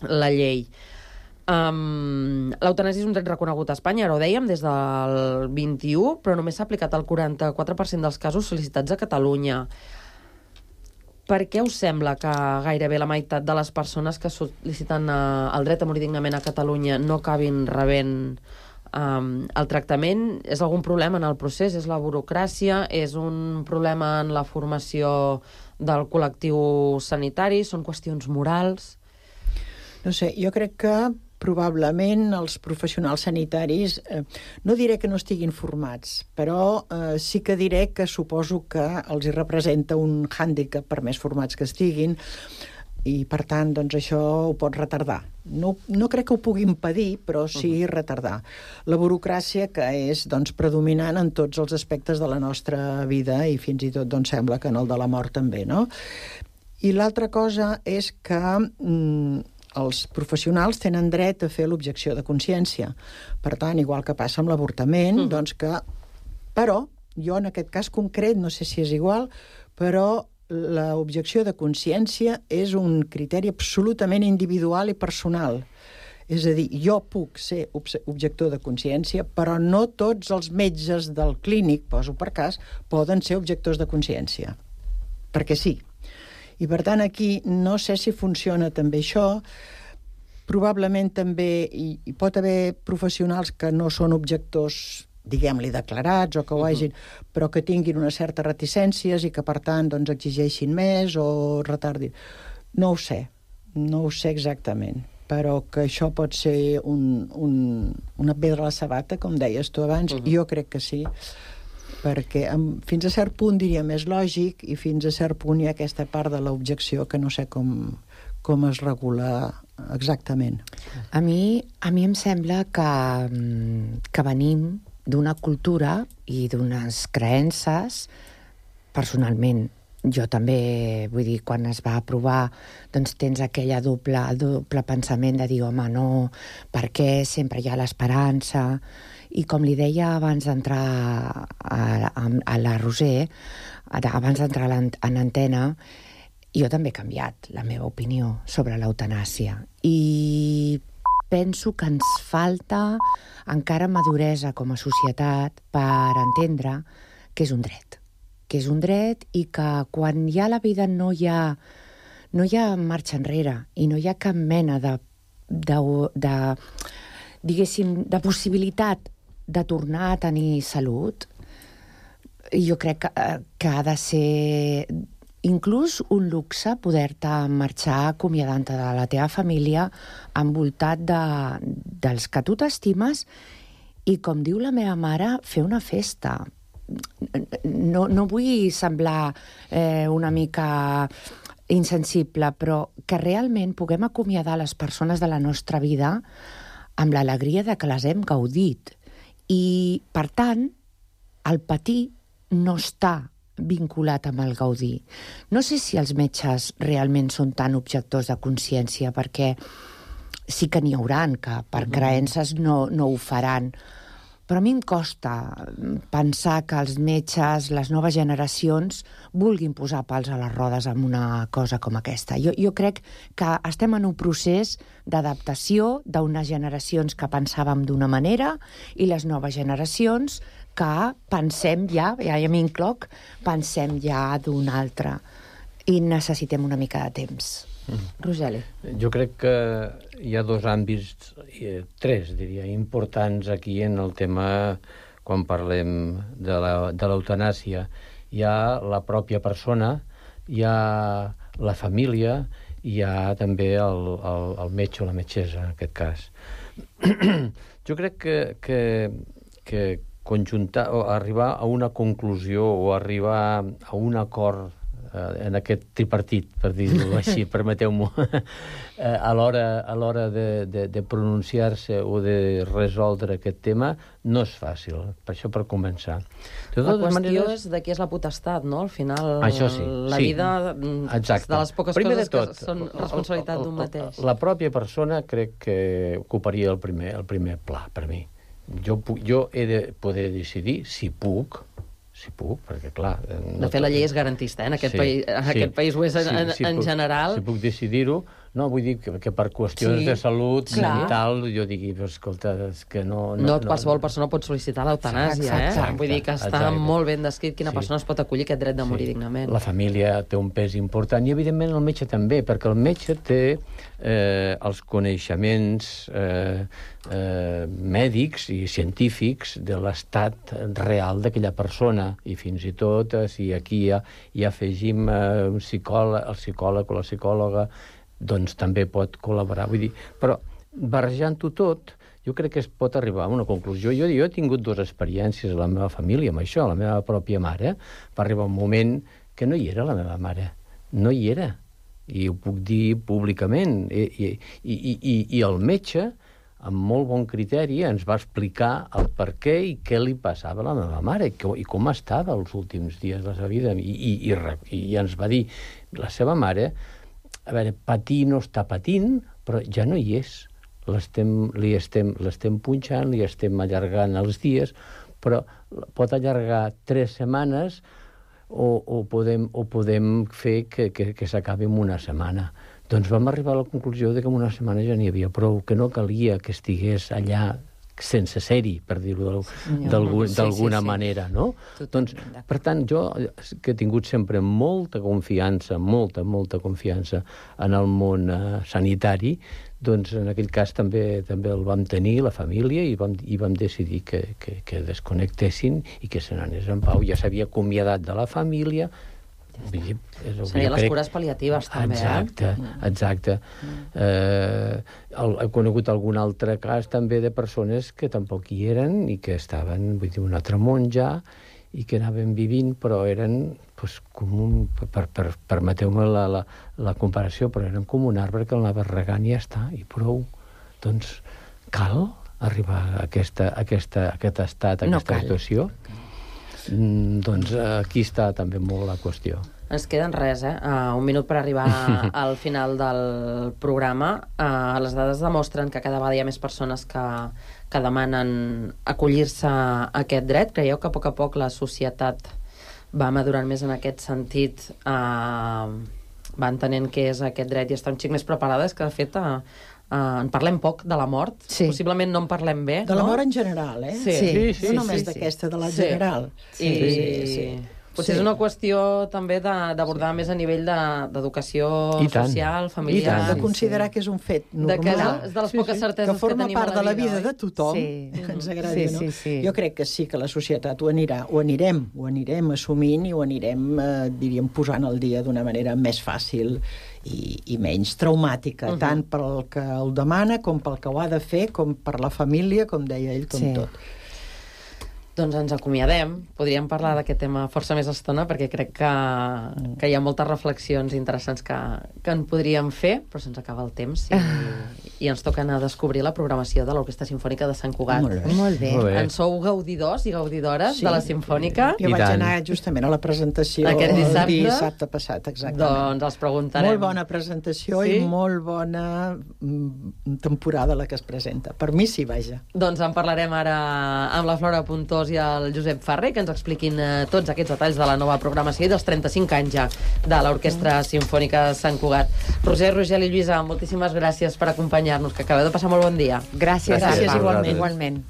la llei. L'eutanàsia és un dret reconegut a Espanya, ara ho dèiem, des del 21, però només s'ha aplicat al 44% dels casos sol·licitats a Catalunya. Per què us sembla que gairebé la meitat de les persones que sol·liciten el dret a morir dignament a Catalunya no acabin rebent el tractament? És algun problema en el procés? És la burocràcia? És un problema en la formació del col·lectiu sanitari? Són qüestions morals? No sé, jo crec que probablement els professionals sanitaris, no diré que no estiguin formats, però sí que diré que suposo que els hi representa un hàndicap per més formats que estiguin, i per tant doncs això ho pot retardar. No crec que ho pugui impedir, però sí retardar. La burocràcia, que és doncs predominant en tots els aspectes de la nostra vida i fins i tot doncs sembla que en el de la mort també, no? I l'altra cosa és que els professionals tenen dret a fer l'objecció de consciència. Per tant, igual que passa amb l'avortament, doncs que... Però, jo en aquest cas concret, no sé si és igual, però l'objecció de consciència és un criteri absolutament individual i personal. És a dir, jo puc ser objector de consciència, però no tots els metges del clínic, poso per cas, poden ser objectors de consciència. Perquè sí. I per tant aquí no sé si funciona també això. Probablement també hi pot haver professionals que no són objectors, diguem-li, declarats o que ho hagin, però que tinguin unes certes reticències i que, per tant, doncs, exigeixin més o retardin. No ho sé exactament, però que això pot ser una pedra a la sabata, com deies tu abans, jo crec que sí, perquè fins a cert punt diria més lògic i fins a cert punt hi ha aquesta part de l'objecció que no sé com es regula exactament. A mi em sembla que venim d'una cultura i d'unes creences, personalment, jo també, vull dir, quan es va aprovar, doncs tens aquella doble pensament de dir, home, no, per què sempre hi ha l'esperança? I com li deia abans d'entrar a la Roser, abans d'entrar en antena, jo també he canviat la meva opinió sobre l'eutanàsia. I penso que ens falta encara maduresa com a societat per entendre que és un dret, que és un dret i que quan ja la vida no hi ha marxa enrere i no hi ha cap mena diguéssim, de possibilitat de tornar a tenir salut, jo crec que ha de ser inclús un luxe poder-te marxar acomiadant-te de la teva família envoltat dels que tu t'estimes i, com diu la meva mare, fer una festa. No vull semblar una mica insensible, però que realment puguem acomiadar les persones de la nostra vida amb l'alegria de que les hem gaudit. I, per tant, el patir no està vinculat amb el gaudir. No sé si els metges realment són tan objectors de consciència, perquè sí que n'hi hauran que per creences no ho faran. Però a mi em costa pensar que els metges, les noves generacions, vulguin posar pals a les rodes amb una cosa com aquesta. Jo crec que estem en un procés d'adaptació d'unes generacions que pensàvem d'una manera i les noves generacions que pensem ja m'incloc, pensem ja d'una altra. I necessitem una mica de temps. Rogeli. Jo crec que hi ha dos àmbits, tres, diria, importants aquí en el tema quan parlem de l'eutanàsia. Hi ha la pròpia persona, hi ha la família i hi ha també el metge o la metgessa, en aquest cas. Jo crec que conjuntar o arribar a una conclusió o arribar a un acord en aquest tripartit, per dir-ho així, permeteu-m'ho, a l'hora de pronunciar-se o de resoldre aquest tema, no és fàcil, per això per començar. La qüestió és de qui és la potestat, no? Al final, la vida és de les poques coses que són responsabilitat d'un mateix. La pròpia persona crec que ocuparia el primer pla, per mi. Jo he de poder decidir si puc, perquè, clar... De fet, la llei és garantista, en aquest país ho és en general. Si puc decidir-ho, no, vull dir que per qüestions de salut mental, jo digui, escolta, és que no... No qualsevol persona pot sol·licitar l'eutanàsia, Vull dir que està molt ben descrit quina persona es pot acollir aquest dret de morir dignament. La família té un pes important i, evidentment, el metge també, perquè el metge té els coneixements mèdics i científics de l'estat real d'aquella persona, i fins i tot si aquí hi afegim el psicòleg o la psicòloga, doncs també pot col·laborar. Vull dir, però barrejant-ho tot, jo crec que es pot arribar a una conclusió. Jo he tingut dues experiències a la meva família amb això. La meva pròpia mare va arribar un moment que no hi era la meva mare. No hi era. I ho puc dir públicament. I el metge, amb molt bon criteri, ens va explicar el per què i què li passava a la meva mare i com estava els últims dies de la seva vida. I ens va dir, la seva mare, a veure, patir no està patint, però ja no hi és. L'estem punxant, li estem allargant els dies, però pot allargar 3 setmanes o podem fer que s'acabi en una setmana. Doncs vam arribar a la conclusió que en una setmana ja n'hi havia prou, que no calia que estigués allà sense ser-hi, per dir-ho d'alguna manera, no? Doncs, per tant, jo que he tingut sempre molta confiança, molta confiança en el món sanitari, doncs en aquell cas també el vam tenir, la família, i vam decidir que desconnectessin i que se n'anés en pau. Ja s'havia acomiadat de la família. Serien les cures pal·liatives, també. Exacte. He conegut algun altre cas també de persones que tampoc hi eren i que estaven, vull dir, un altre món ja, i que anaven vivint, però eren com permeteu-me la comparació, però eren com un arbre que el anava regant i ja està, i prou. Doncs cal arribar a aquest estat, a aquesta situació? Doncs aquí està també molt la qüestió. Ens queden res, un minut per arribar al final del programa. Les dades demostren que cada vegada hi ha més persones que demanen acollir-se a aquest dret. Creieu que a poc la societat va madurant més en aquest sentit, va entenent què és aquest dret i està un xic més preparada? És que, de fet, en parlem poc de la mort, possiblement no en parlem bé. De la mort en general, Sí. No només d'aquesta, de la general. Potser és una qüestió també d'abordar més a nivell d'educació social, familiar. De considerar que és un fet normal, de les poques certeses que forma part de la vida de tothom, Sí. que ens agradi, no? Sí. Jo crec que sí que la societat ho anirem assumint i ho anirem, diríem, posant al dia d'una manera més fàcil i menys traumàtica, tant pel que el demana, com pel que ho ha de fer, com per la família, com deia ell, com tot. Doncs ens acomiadem. Podríem parlar d'aquest tema força més estona, perquè crec que hi ha moltes reflexions interessants que en podríem fer, però se'ns acaba el temps i ens toca anar a descobrir la programació de l'Orquestra Simfònica de Sant Cugat. Molt bé. En sou gaudidors i gaudidores de la Simfònica? Jo vaig anar justament a la presentació aquest dissabte passat, exactament. Doncs els preguntarem. Molt bona presentació i molt bona temporada la que es presenta. Per mi sí, vaja. Doncs en parlarem ara amb la Flora Puntós i el Josep Ferrer, que ens expliquin tots aquests detalls de la nova programació i dels 35 anys ja de l'Orquestra Simfònica de Sant Cugat. Roser, Rogel i Lluïsa, moltíssimes gràcies per acompanyar-nos, que acabeu de passar molt bon dia. Gràcies igualment.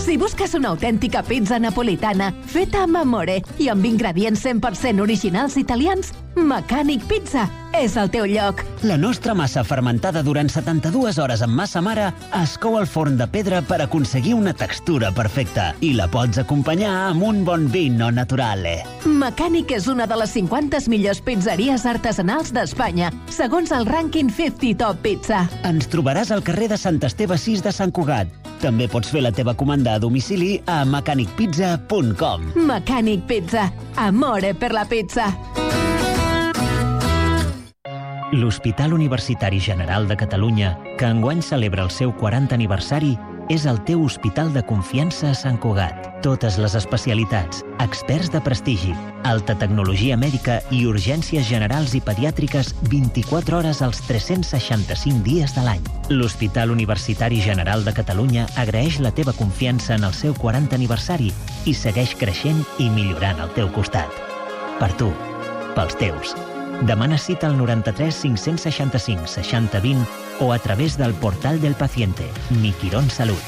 Si busques una autèntica pizza napolitana feta amb amore i amb ingredients 100% originals italians, Mecànic Pizza és el teu lloc. La nostra massa fermentada durant 72 hores amb massa mare es cou al forn de pedra per aconseguir una textura perfecta i la pots acompanyar amb un bon vino naturale. Mecànic és una de les 50 millors pizzeries artesanals d'Espanya, segons el rànquing 50 Top Pizza. Ens trobaràs al carrer de Sant Esteve 6 de Sant Cugat. També pots fer la teva comanda a domicili a mecanicpizza.com. Mecànic Pizza. Amore per la pizza. L'Hospital Universitari General de Catalunya, que enguany celebra el seu 40 aniversari, és el teu hospital de confiança a Sant Cugat. Totes les especialitats, experts de prestigi, alta tecnologia mèdica i urgències generals i pediàtriques 24 hores als 365 dies de l'any. L'Hospital Universitari General de Catalunya agraeix la teva confiança en el seu 40 aniversari i segueix creixent i millorant al teu costat. Per tu, pels teus. Demana cita al 93 565 60 20 o a través del portal del paciente, Mi Quirón Salud.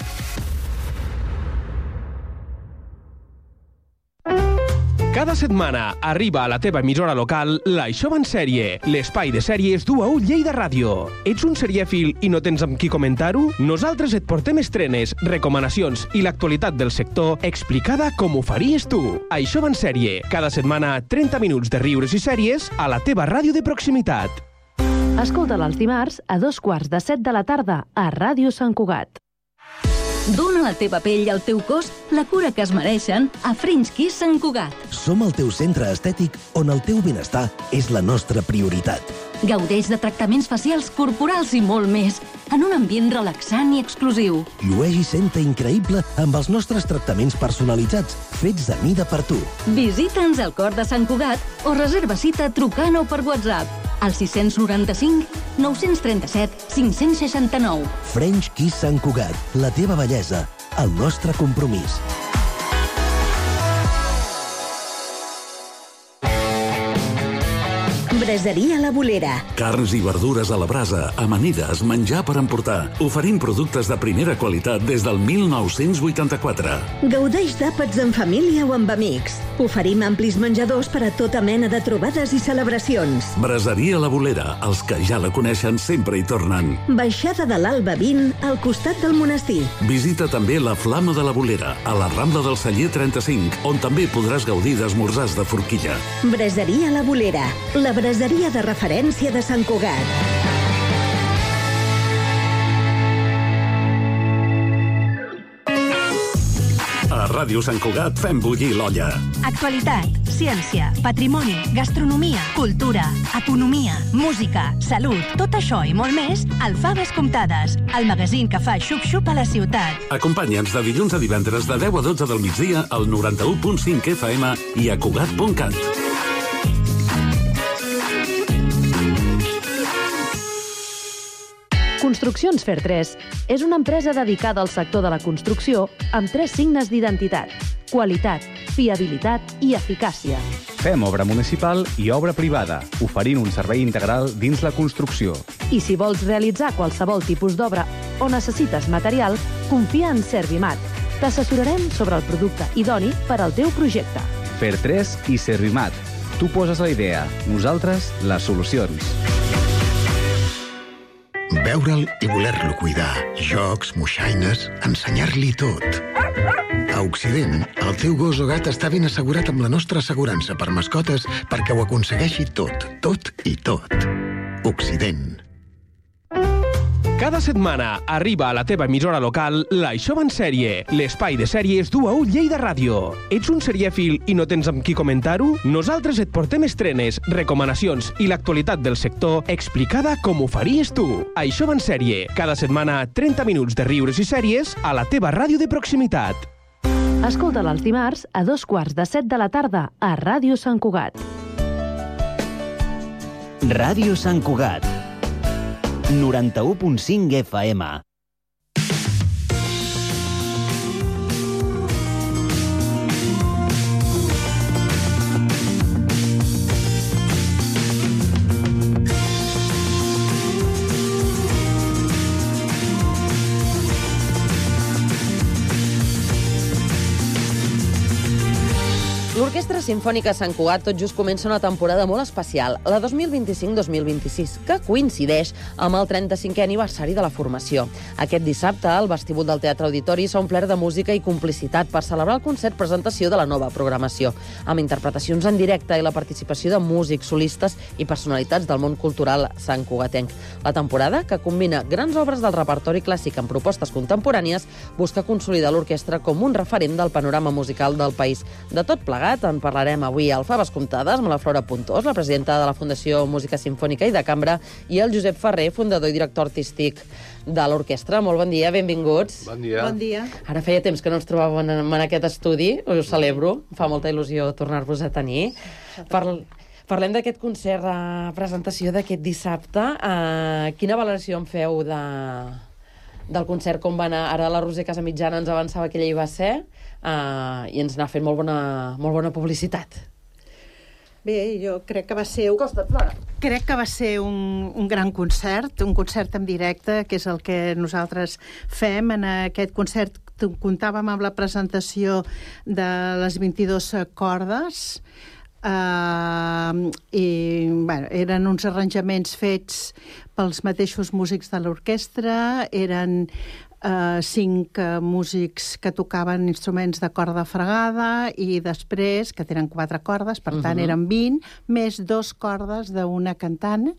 Cada setmana arriba a la teva emissora local l'Això va en sèrie, l'espai de sèries du a ull Lleida Ràdio. Ets un serièfil i no tens amb qui comentar-ho? Nosaltres et portem estrenes, recomanacions i l'actualitat del sector explicada com ho faries tu. Això va en sèrie, cada setmana 30 minuts de riures i sèries a la teva ràdio de proximitat. Escolta'l els dimarts a 2:15 de la tarda a Ràdio Sant Cugat. Dóna a la teva pell i al teu cos la cura que es mereixen a French Kiss Sant Cugat. Som el teu centre estètic on el teu benestar és la nostra prioritat. Gaudeix de tractaments facials, corporals i molt més, en un ambient relaxant i exclusiu. Llueix i senta increïble amb els nostres tractaments personalitzats, fets a mida per tu. Visita'ns al cor de Sant Cugat o reserva cita trucant o per WhatsApp al 695 937 569. French Kiss Sant Cugat, la teva bellesa, el nostre compromís. Braseria La Bolera. Carns i verdures a la brasa, amanides, menjar per emportar. Oferim productes de primera qualitat des del 1984. Gaudeix d'àpats en família o amb amics. Oferim amplis menjadors per a tota mena de trobades i celebracions. Braseria La Bolera, els que ja la coneixen sempre hi tornen. Baixada de l'Alba 20, al costat del monestir. Visita també la Flama de la Bolera, a la Rambla del Celler 35, on també podràs gaudir d'esmorzars de forquilla. Braseria La Bolera, la braseria de referència de Sant Cugat. A Ràdio Sant Cugat fem bullir l'olla. Actualitat, ciència, patrimoni, gastronomia, cultura, economia, música, salut, tot això i molt més al Faves Comptades, el magazín que fa xup-xup a la ciutat. Acompanya'ns de dilluns a divendres de 10 a 12 del migdia al 91.5 FM i a Cugat.cat. Construccions Fer 3 és una empresa dedicada al sector de la construcció amb 3 signes d'identitat: qualitat, fiabilitat i eficàcia. Fem obra municipal i obra privada, oferint un servei integral dins la construcció. I si vols realitzar qualsevol tipus d'obra o necessites material, confia en Servimat. T'assessorarem sobre el producte idoni per al teu projecte. Fer3 i Servimat. Tu poses la idea, nosaltres les solucions. Veure'l i voler-lo cuidar. Jocs, moixaines, ensenyar-li tot. A Occident, el teu gos o gat està ben assegurat amb la nostra assegurança per mascotes perquè ho aconsegueixi tot, tot i tot. Occident. Cada setmana arriba a la teva emissora local l'Això va en sèrie, l'espai de sèries d'U a U Lleida Ràdio. Ets un serièfil i no tens amb qui comentar-ho? Nosaltres et portem estrenes, recomanacions i l'actualitat del sector explicada com ho faries tu. Això va en sèrie, cada setmana 30 minuts de riures i sèries a la teva ràdio de proximitat. Escolta'l els dimarts a 6:45 de la tarda a Ràdio Sant Cugat. Ràdio Sant Cugat. 91.5 FM. L'Orquestra Simfònica Sant Cugat tot just comença una temporada molt especial, la 2025-2026, que coincideix amb el 35è aniversari de la formació. Aquest dissabte, el vestíbul del Teatre Auditori s'ha omplert de música i complicitat per celebrar el concert presentació de la nova programació, amb interpretacions en directe i la participació de músics, solistes i personalitats del món cultural santcugatenc. La temporada, que combina grans obres del repertori clàssic amb propostes contemporànies, busca consolidar l'orquestra com un referent del panorama musical del país. De tot plegat, en parlarem avui al Faves Comptades amb la Flora Puntós, la presidenta de la Fundació Música Simfònica i de Cambra, i el Josep Ferrer, fundador i director artístic de l'orquestra. Molt bon dia, benvinguts. Bon dia. Bon dia. Ara feia temps que no ens trobàvem en aquest estudi, us celebro, fa molta il·lusió tornar-vos a tenir. Parlem d'aquest concert, presentació d'aquest dissabte. Quina valoració en feu del concert, com va anar? Ara la Roser Casamitjana ens avançava que ella hi va ser, i ens n'ha fet molt bona publicitat. Bé, jo crec que va ser... Crec que va ser un gran concert, un concert en directe, que és el que nosaltres fem. En aquest concert comptàvem amb la presentació de les 22 cordes, i bueno, eren uns arranjaments fets pels mateixos músics de l'orquestra, eren 5 músics que tocaven instruments de corda fregada i després, que tenen 4 cordes, per tant eren 20, més 2 cordes d'una cantant,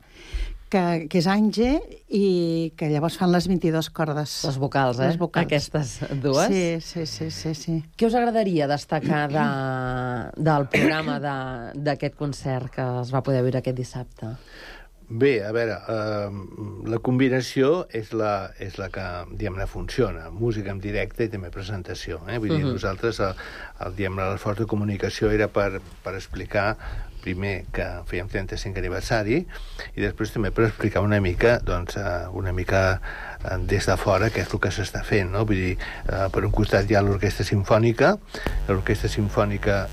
que és Àngel, i que llavors fan les 22 cordes. Les vocals, Les vocals. Aquestes dues. Sí. Què us agradaria destacar del programa d'aquest concert que es va poder veure aquest dissabte? Bé, a veure, la combinació és la que, diguem-ne, funciona. Música en directe i també presentació. Vull dir, nosaltres, l'esforç de comunicació era per explicar primer que fèiem 35 aniversari i després també per explicar una mica des de fora què és el que s'està fent, no? Vull dir, per un costat hi ha l'Orquestra Simfònica. L'Orquestra Simfònica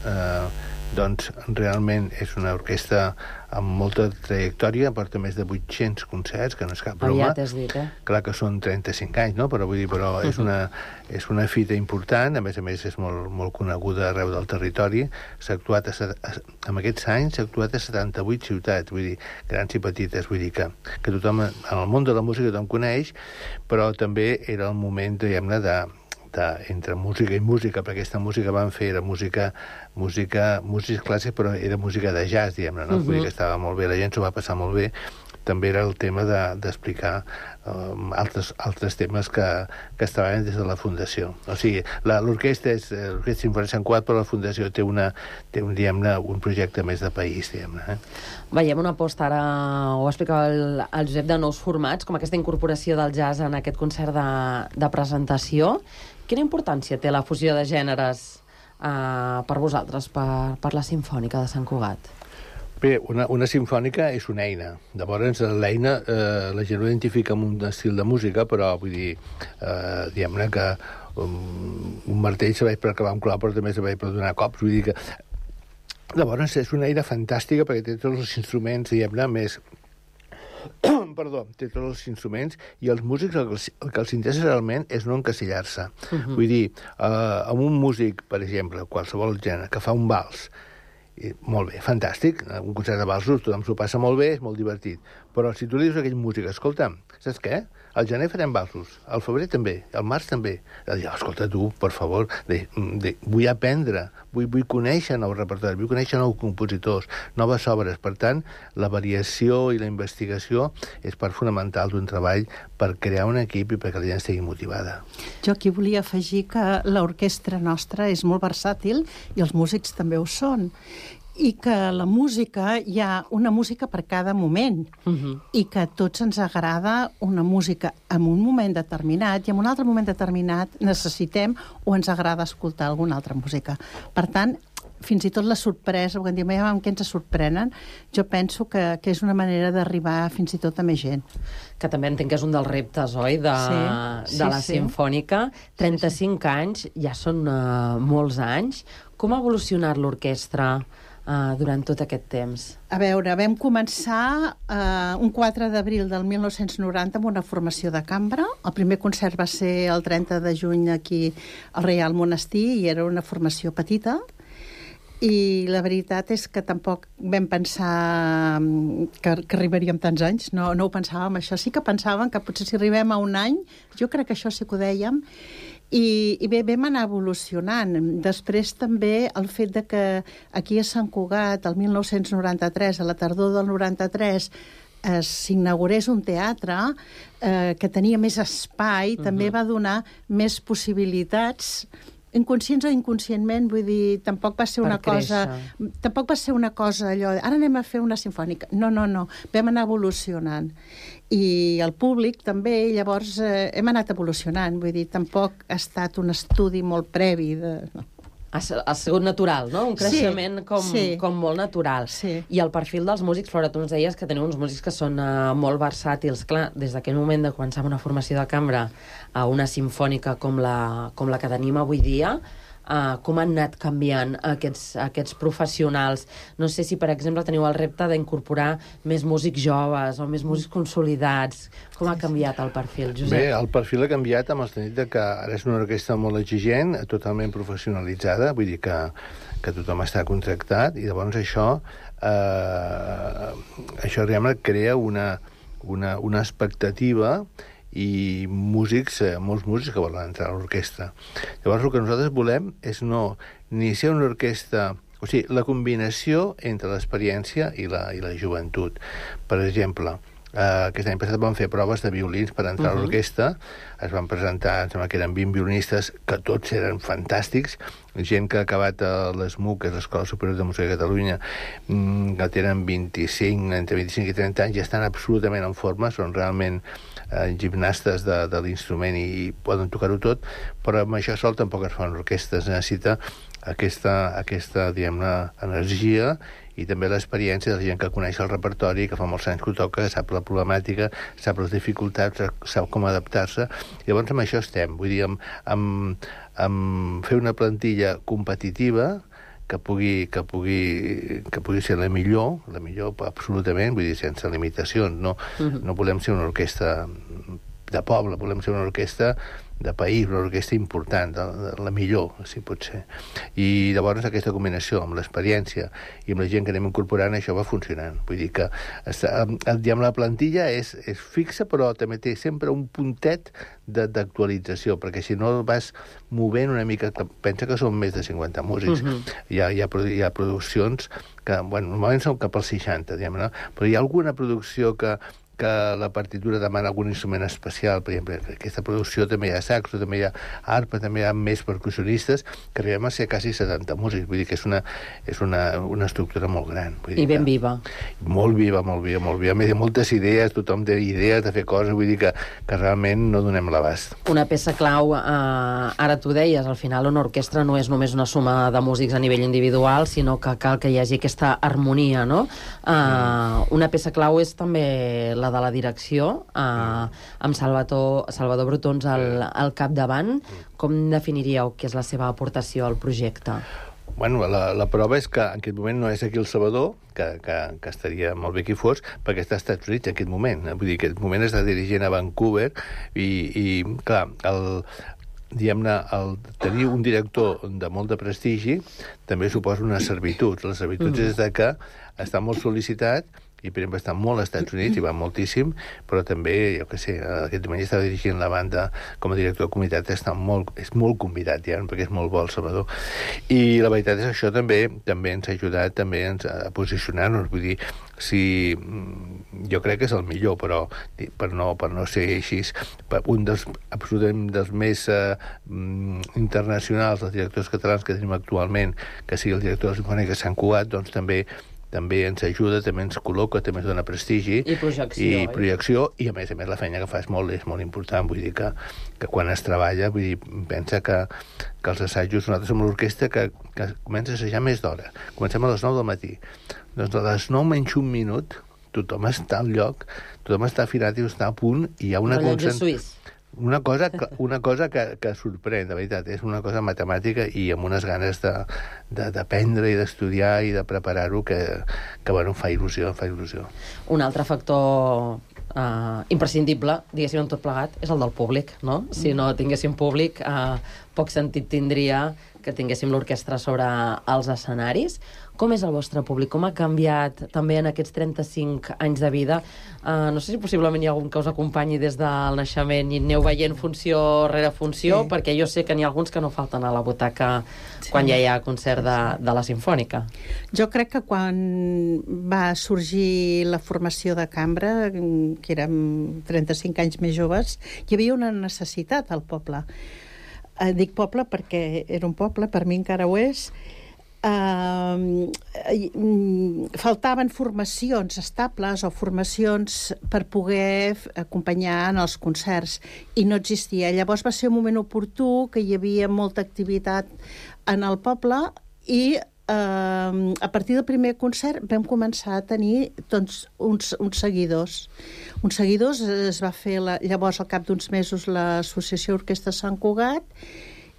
doncs realment és una orquestra amb molta trajectòria, porta més de 800 concerts, que no és cap broma. Aviat has dit, Clar que són 35 anys, no? Però és una fita important, a més és molt coneguda arreu del territori. S'ha actuat en aquests anys s'ha actuat a 78 ciutats, vull dir, grans i petites, vull dir que tothom, en el món de la música tothom coneix, però també era el moment, diguem-ne, entre música i música, perquè aquesta música van fer era música clàssica, però era música de jazz, diguem-ne, no? Vull dir que estava molt bé, la gent s'ho va passar molt bé. També era el tema d'explicar altres temes que es treballen des de la Fundació. O sigui, l'orquestra Simfònica Sant Cugat, però la Fundació té un projecte més de país, diguem-ne. Veiem una aposta, ara ho explicava el Josep, de nous formats, com aquesta incorporació del jazz en aquest concert de presentació. Quina importància té la fusió de gèneres per vosaltres, per la Simfònica de Sant Cugat? Bé, una simfònica és una eina. Llavors, l'eina la gent ho identifica amb un estil de música, però vull dir, diguem-ne que un martell serveix per acabar un clau, però també serveix per donar cops. Vull dir que... Llavors, és una eina fantàstica perquè té tots els instruments, diguem-ne, més... Perdó, té tots els instruments i els músics el que els interessa realment és no encasillar-se. Vull dir, amb un músic, per exemple, qualsevol gènere, que fa un vals, molt bé, fantàstic, un concert de valsos, tothom s'ho passa molt bé, és molt divertit, però si tu li dius a aquell músic, escolta, saps què? Al gener farem valsos, al febrer també, al març també. Escolta, tu, per favor, vull aprendre, vull conèixer nou repertori, vull conèixer nous compositors, noves obres. Per tant, la variació i la investigació és part fonamental d'un treball per crear un equip i perquè la gent estigui motivada. Jo aquí volia afegir que l'orquestra nostra és molt versàtil i els músics també ho són. I que la música, hi ha una música per cada moment, i que a tots ens agrada una música en un moment determinat i en un altre moment determinat necessitem o ens agrada escoltar alguna altra música. Per tant, fins i tot la sorpresa, quan diem amb què ens sorprenen, jo penso que és una manera d'arribar fins i tot a més gent. Que també entenc que és un dels reptes, oi?, de la Simfònica. 35 anys, ja són molts anys. Com ha evolucionat l'orquestra durant tot aquest temps? A veure, vam començar un 4 d'abril del 1990 amb una formació de cambra. El primer concert va ser el 30 de juny aquí al Reial Monestir i era una formació petita. I la veritat és que tampoc vam pensar que arribaríem tants anys, no ho pensàvem això. Sí que pensàvem que potser si arribem a un any, jo crec que això sí que ho dèiem, i bé, vam anar evolucionant. Després també el fet de que aquí a Sant Cugat, el 1993, a la tardor del 93, s'inaugurés un teatre que tenia més espai, també va donar més possibilitats, inconscients o inconscientment, vull dir, tampoc va ser una cosa allò, ara anem a fer una simfònica. No, vam anar evolucionant. I el públic també, llavors hem anat evolucionant, vull dir, tampoc ha estat un estudi molt previ de... Ha sigut natural, no? Un creixement com molt natural. I el perfil dels músics, Flora, tu ens deies que teniu uns músics que són molt versàtils. Clar, des d'aquell moment de començar una formació de cambra a una simfònica com la que tenim avui dia, com han anat canviant aquests professionals? No sé si, per exemple, teniu el repte d'incorporar més músics joves o més músics consolidats. Com ha canviat el perfil, Josep? Bé, el perfil ha canviat amb el sentit que ara és una orquestra molt exigent, totalment professionalitzada, vull dir que tothom està contractat, i llavors això realment crea una expectativa i molts músics que volen entrar a l'orquestra. Llavors, el que nosaltres volem és ni ser una orquestra... O sigui, la combinació entre l'experiència i la joventut. Per exemple, aquest any passat vam fer proves de violins per entrar a l'orquestra. Es van presentar, em sembla que eren 20 violinistes, que tots eren fantàstics, gent que ha acabat a l'ESMUC, que és l'Escola Superior de Música de Catalunya, que tenen entre 25 i 30 anys, i estan absolutament en forma, són realment gimnastes de l'instrument i poden tocar-ho tot, però amb això sol tampoc es fan orquestres. Necessita aquesta diguem-ne, energia i també l'experiència de la gent que coneix el repertori, que fa molts anys que ho toca, que sap la problemàtica, sap les dificultats, sap com adaptar-se. Llavors amb això estem, vull dir, amb fer una plantilla competitiva que pugui ser la millor absolutament, vull dir, sense limitacions. No volem ser una orquestra de poble, volem ser una orquestra de país, una orquestra important, la millor, si pot ser. I llavors aquesta combinació amb l'experiència i amb la gent que anem incorporant, això va funcionant. Vull dir que la plantilla és fixa, però també té sempre un puntet d'actualització, perquè si no vas movent una mica, pensa que són més de 50 músics. Hi ha produccions que, normalment són cap als 60, diguem-ne, però hi ha alguna producció que la partitura demana algun instrument especial. Per exemple, en aquesta producció també hi ha saxo, també hi ha arpa, també hi ha més percussionistes, que arribem a ser quasi 70 músics. Vull dir que és una estructura molt gran. I ben viva. Molt viva. A més, hi ha moltes idees, tothom té idees de fer coses, vull dir que realment no donem l'abast. Una peça clau, ara tu deies, al final una orquestra no és només una suma de músics a nivell individual, sinó que cal que hi hagi aquesta harmonia, no? Una peça clau és també la de la direcció, amb Salvador Brotons al capdavant. Com definiríeu què és la seva aportació al projecte? Bueno, la prova és que en aquest moment no és aquí el Salvador, que estaria molt bé que hi fos, perquè està als Estats Units en aquest moment. Vull dir que en aquest moment està dirigint a Vancouver i clar, diguem-ne, el tenir un director de molt de prestigi també suposa unes servituds. Les servituds és que està molt sol·licitat i, per exemple, està molt als Estats Units i va moltíssim, però també, jo què sé, aquest diumenge estava dirigint la banda com a director de comunitat, és molt convidat ja, perquè és molt bo el Salvador. I la veritat és que això també ens ha ajudat també a posicionar-nos, vull dir, jo crec que és el millor, però per no ser així, un absolutament dels més internacionals, els directors catalans que tenim actualment, que sigui el director de la Simfònica de Sant Cugat, doncs també ens ajuda, també ens col·loca, també ens dona prestigi. I projecció. I a més la feina que fa és molt important. Vull dir que quan es treballa, vull dir, pensa que els assajos, nosaltres som l'orquestra que comença a assajar més d'hora. Comencem a les 9 del matí. Doncs a les 9 menys un minut, tothom està al lloc, tothom està afinat i està a punt, i hi ha una concentració. Una cosa que sorprèn, de veritat, és una cosa matemàtica i amb unes ganes d'aprendre i d'estudiar i de preparar-ho que bueno, fa il·lusió. Un altre factor imprescindible, diguéssim, en tot plegat, és el del públic, no? Si no tinguéssim públic, poc sentit tindria que tinguéssim l'orquestra sobre els escenaris. Com és el vostre públic? Com ha canviat també en aquests 35 anys de vida? No sé si possiblement hi ha algun que us acompanyi des del naixement i aneu veient funció rere funció, perquè jo sé que n'hi ha alguns que no falten a la butaca quan ja hi ha concert de la Simfònica. Jo crec que quan va sorgir la formació de cambra, que érem 35 anys més joves, hi havia una necessitat al poble. Dic poble perquè era un poble, per mi encara ho és. Faltaven formacions estables o formacions per poder acompanyar en els concerts i no existia. Llavors va ser un moment oportú, que hi havia molta activitat en el poble i a partir del primer concert vam començar a tenir doncs, uns seguidors. Uns seguidors, es va fer llavors al cap d'uns mesos l'Associació Orquestra Sant Cugat,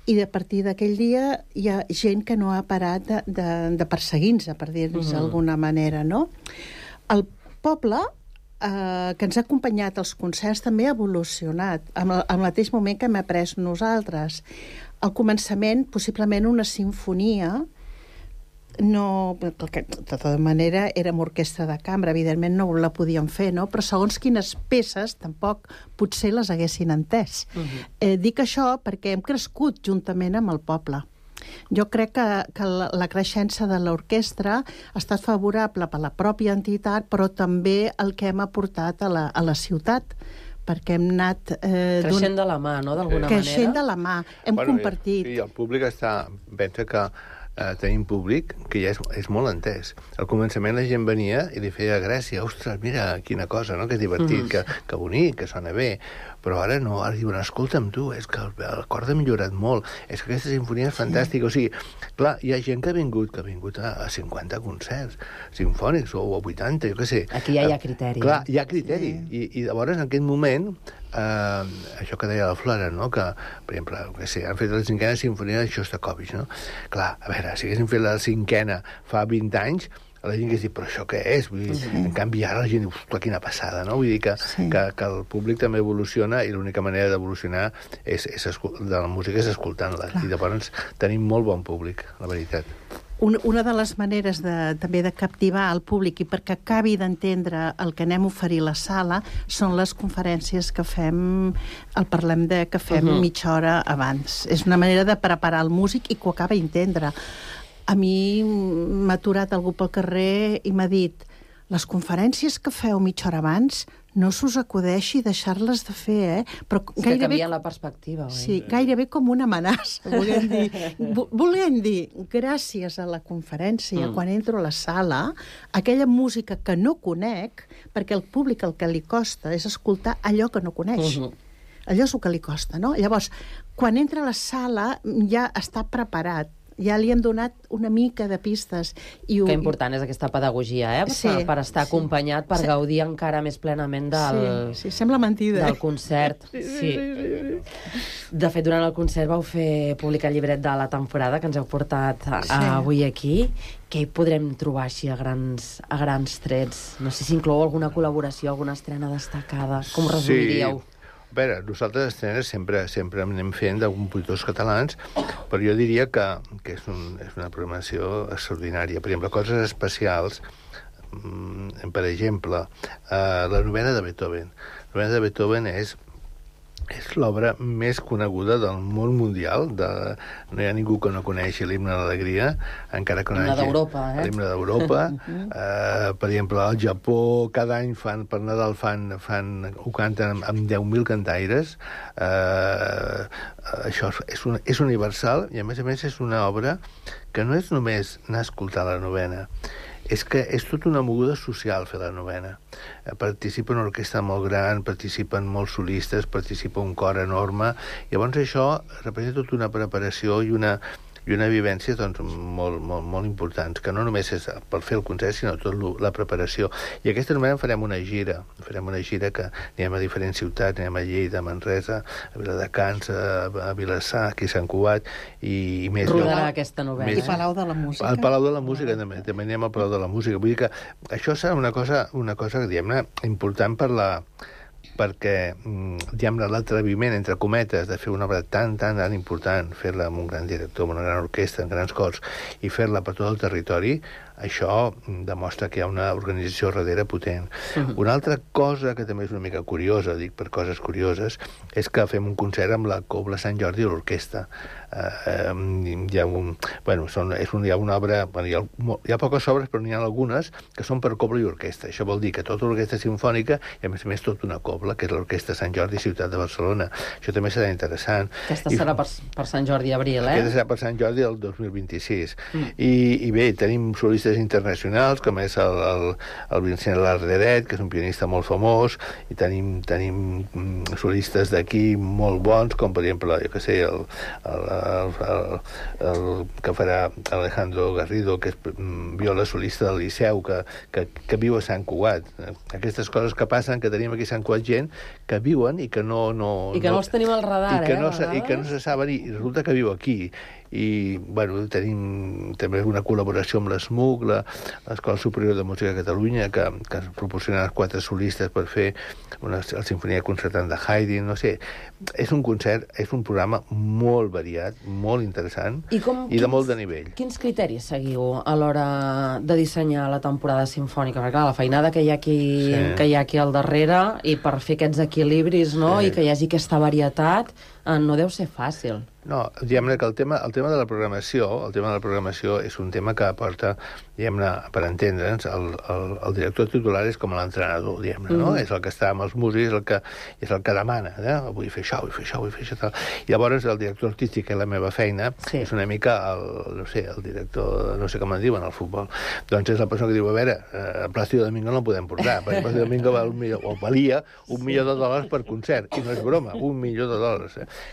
i a partir d'aquell dia hi ha gent que no ha parat de perseguir-nos, per dir-nos d'alguna manera, no? El poble que ens ha acompanyat als concerts també ha evolucionat, al mateix moment que hem après nosaltres. Al començament, possiblement una sinfonia, no, de tota manera érem orquestra de cambra, evidentment no la podíem fer, no? Però segons quines peces tampoc potser les haguessin entès. Dic això perquè hem crescut juntament amb el poble. Jo crec que la creixença de l'orquestra ha estat favorable per la pròpia entitat, però també el que hem aportat a la ciutat, perquè hem anat... creixent de la mà, no?, d'alguna manera. Creixent de la mà, hem compartit. Sí, el públic pensa que tenim públic que ja és molt entès. Al començament la gent venia i li feia gràcia, ostres, mira, quina cosa, no?, que divertit, que bonic, que sona bé. Però ara no, ara diuen, escolta'm tu, és que l'acord ha millorat molt, és que aquesta sinfonia és fantàstica. O sigui, clar, hi ha gent que ha vingut a 50 concerts sinfònics o a 80, jo què sé. Aquí ja hi ha criteri. Clar, hi ha criteri. I llavors, en aquest moment, això que deia la Flora, no?, que, per exemple, que sé, han fet la 5a sinfonia de Shostakovich, no? Clar, a veure, si haguéssim fet la 5a fa 20 anys, la gent que diu, però això què és? Vull dir, en canvi, ara la gent diu, ostres, quina passada, no? Vull dir que el públic també evoluciona i l'única manera d'evolucionar de la música és escoltant-la. I llavors tenim molt bon públic, la veritat. Una de les maneres també de captivar el públic i perquè acabi d'entendre el que anem a oferir a la sala són les conferències que fem, que fem mitja hora abans. És una manera de preparar el músic i que ho acaba d'entendre. A mi m'ha aturat algú pel carrer i m'ha dit, les conferències que feu mitja hora abans no s'us acudeixi deixar-les de fer, Però és que canvia la perspectiva, oi? Sí, gairebé com una amenaça, volem dir, gràcies a la conferència, quan entro a la sala, aquella música que no conec, perquè el públic el que li costa és escoltar allò que no coneix. Allò és el que li costa, no? Llavors, quan entra a la sala ja està preparat Ja li hem donat una mica de pistes. Que important és aquesta pedagogia, per estar acompanyat, per gaudir encara més plenament Sí, sembla mentida. Del concert. Sí. De fet, durant el concert vau fer publicar el llibret de la temporada que ens heu portat avui aquí. Què hi podrem trobar així a grans trets? No sé si inclou alguna col·laboració, alguna estrena destacada. Com ho resumiríeu? A veure, nosaltres estrenes sempre anem fent de compositors catalans, però jo diria que és una programació extraordinària. Per exemple, coses especials, per exemple, la novena de Beethoven. La novena de Beethoven és l'obra més coneguda del món mundial. No hi ha ningú que no coneixi l'himne de l'alegria, encara que no hi hagi... L'himne d'Europa. Per exemple, al Japó, cada any per Nadal ho canten amb 10.000 cantaires. Això és universal i, a més, és una obra que no és només anar a escoltar la novena, és que és tota una moguda social fer la novena. Participa una orquestra molt gran, participen molts solistes, participa un cor enorme. Llavors això representa tota una preparació i una vivència molt importants, que no només és per fer el concert, sinó tota la preparació. I aquesta novena farem una gira que anem a diferents ciutats, anem a Lleida, a Manresa, a Viladecans, a Vilassar, aquí a Sant Cugat, i més. Rodarà aquesta novena. I Palau de la Música. Al Palau de la Música, també anem al Palau de la Música. Vull dir que això serà una cosa diguem-ne, important perquè, diguem-ne, l'atreviment, entre cometes, de fer una obra tan important, fer-la amb un gran director, amb una gran orquestra, amb grans cors, i fer-la per tot el territori, això demostra que hi ha una organització darrere potent. Una altra cosa que també és una mica curiosa, dic per coses curioses, és que fem un concert amb la Cobla Sant Jordi i l'orquestra. Hi ha una obra... Hi ha poques obres, però n'hi ha algunes que són per cobla i orquestra. Això vol dir que tota l'orquestra sinfònica i, a més, tota una cobla, que és l'Orquestra Sant Jordi Ciutat de Barcelona. Això també serà interessant. Aquesta serà per Sant Jordi abril, Aquesta serà per Sant Jordi del 2026. I bé, tenim solistes internacionals, com és el Vincent Larderet, que és un pianista molt famós, i tenim solistes d'aquí molt bons, com per exemple, jo què sé, el que farà Alejandro Garrido, que és viola solista del Liceu, que viu a Sant Cugat. Aquestes coses que passen, que tenim aquí a Sant Cugat gent que viuen i que no... I que no els tenim al radar, I que no se saben, i resulta que viu aquí. I, tenim també una col·laboració amb l'ESMUC, l'Escola Superior de Música de Catalunya, que ens proporciona 4 solistes per fer la Sinfonia Concertant de Haydn, no sé. És un concert, és un programa molt variat, molt interessant i de molt de nivell. Quins criteris seguiu a l'hora de dissenyar la temporada sinfònica? Perquè, clar, la feinada que hi ha aquí al darrere, i per fer aquests equilibris, no? I que hi hagi aquesta varietat, no deu ser fàcil. No, diguem-ne que el tema de la programació és un tema que aporta, diguem-ne, per entendre'ns, el director titular és com l'entrenador, diguem-ne, no? És el que està amb els músics, és el que demana, vull fer això, vull fer això, tal. I llavors el director artístic, que és la meva feina, és una mica el director, no sé com en diuen, al futbol. Doncs és la persona que diu, a veure, el Plácido Domingo no el podem portar, perquè el Plácido Domingo valia $1 milió per concert, i no és broma, $1 milió.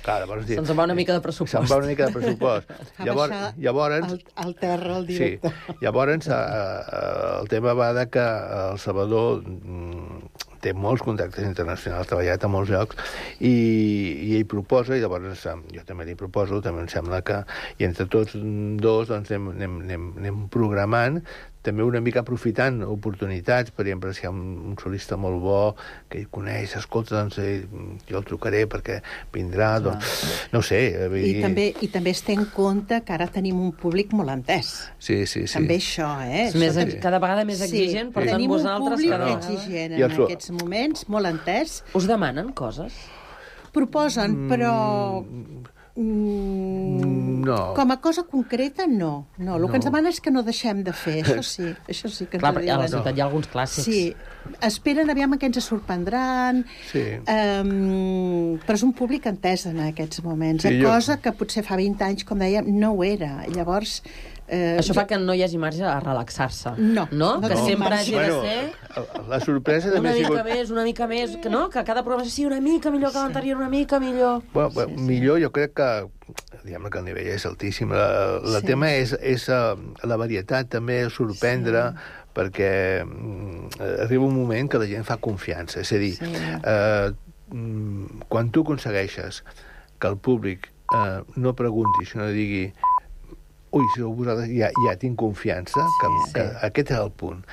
Clar, llavors... Se'ns va una mica de pressupost. Se'n va una mica de pressupost. Llavors... Al terra, el director. Sí, llavors el tema va de que el Salvador té molts contactes internacionals, ha treballat a molts llocs, i ell proposa, i llavors jo també li proposo, també em sembla que, i entre tots dos doncs, anem programant, també una mica aprofitant oportunitats, per exemple, si hi ha un solista molt bo que ell coneix, escolta, doncs jo el trucaré perquè vindrà, doncs, no ho sé. I també es té en compte que ara tenim un públic molt entès. Sí. També això, Cada vegada més exigent, per tant vosaltres... Tenim un públic exigent en aquests moments, molt entès. Us demanen coses? Proposen, però... No. Com a cosa concreta, no. El que ens demana és que no deixem de fer, això sí que ens ho diuen. Clar, a la ciutat hi ha alguns clàssics. Sí, esperen aviam que ens sorprendran, però és un públic entès en aquests moments, cosa que potser fa 20 anys, com dèiem, no ho era. Llavors, Això fa que no hi hagi marge a relaxar-se. No. Que sempre hagi de ser... La sorpresa també una ha sigut... una mica més, que cada programa sigui una mica millor que l'anterior, una mica millor. Millor, jo crec que diguem que el nivell és altíssim. El tema és la varietat, també sorprendre, perquè arriba un moment que la gent fa confiança. És a dir, quan tu aconsegueixes que el públic no pregunti, sinó digui ui, si vosaltres ja tinc confiança, que aquest és el punt.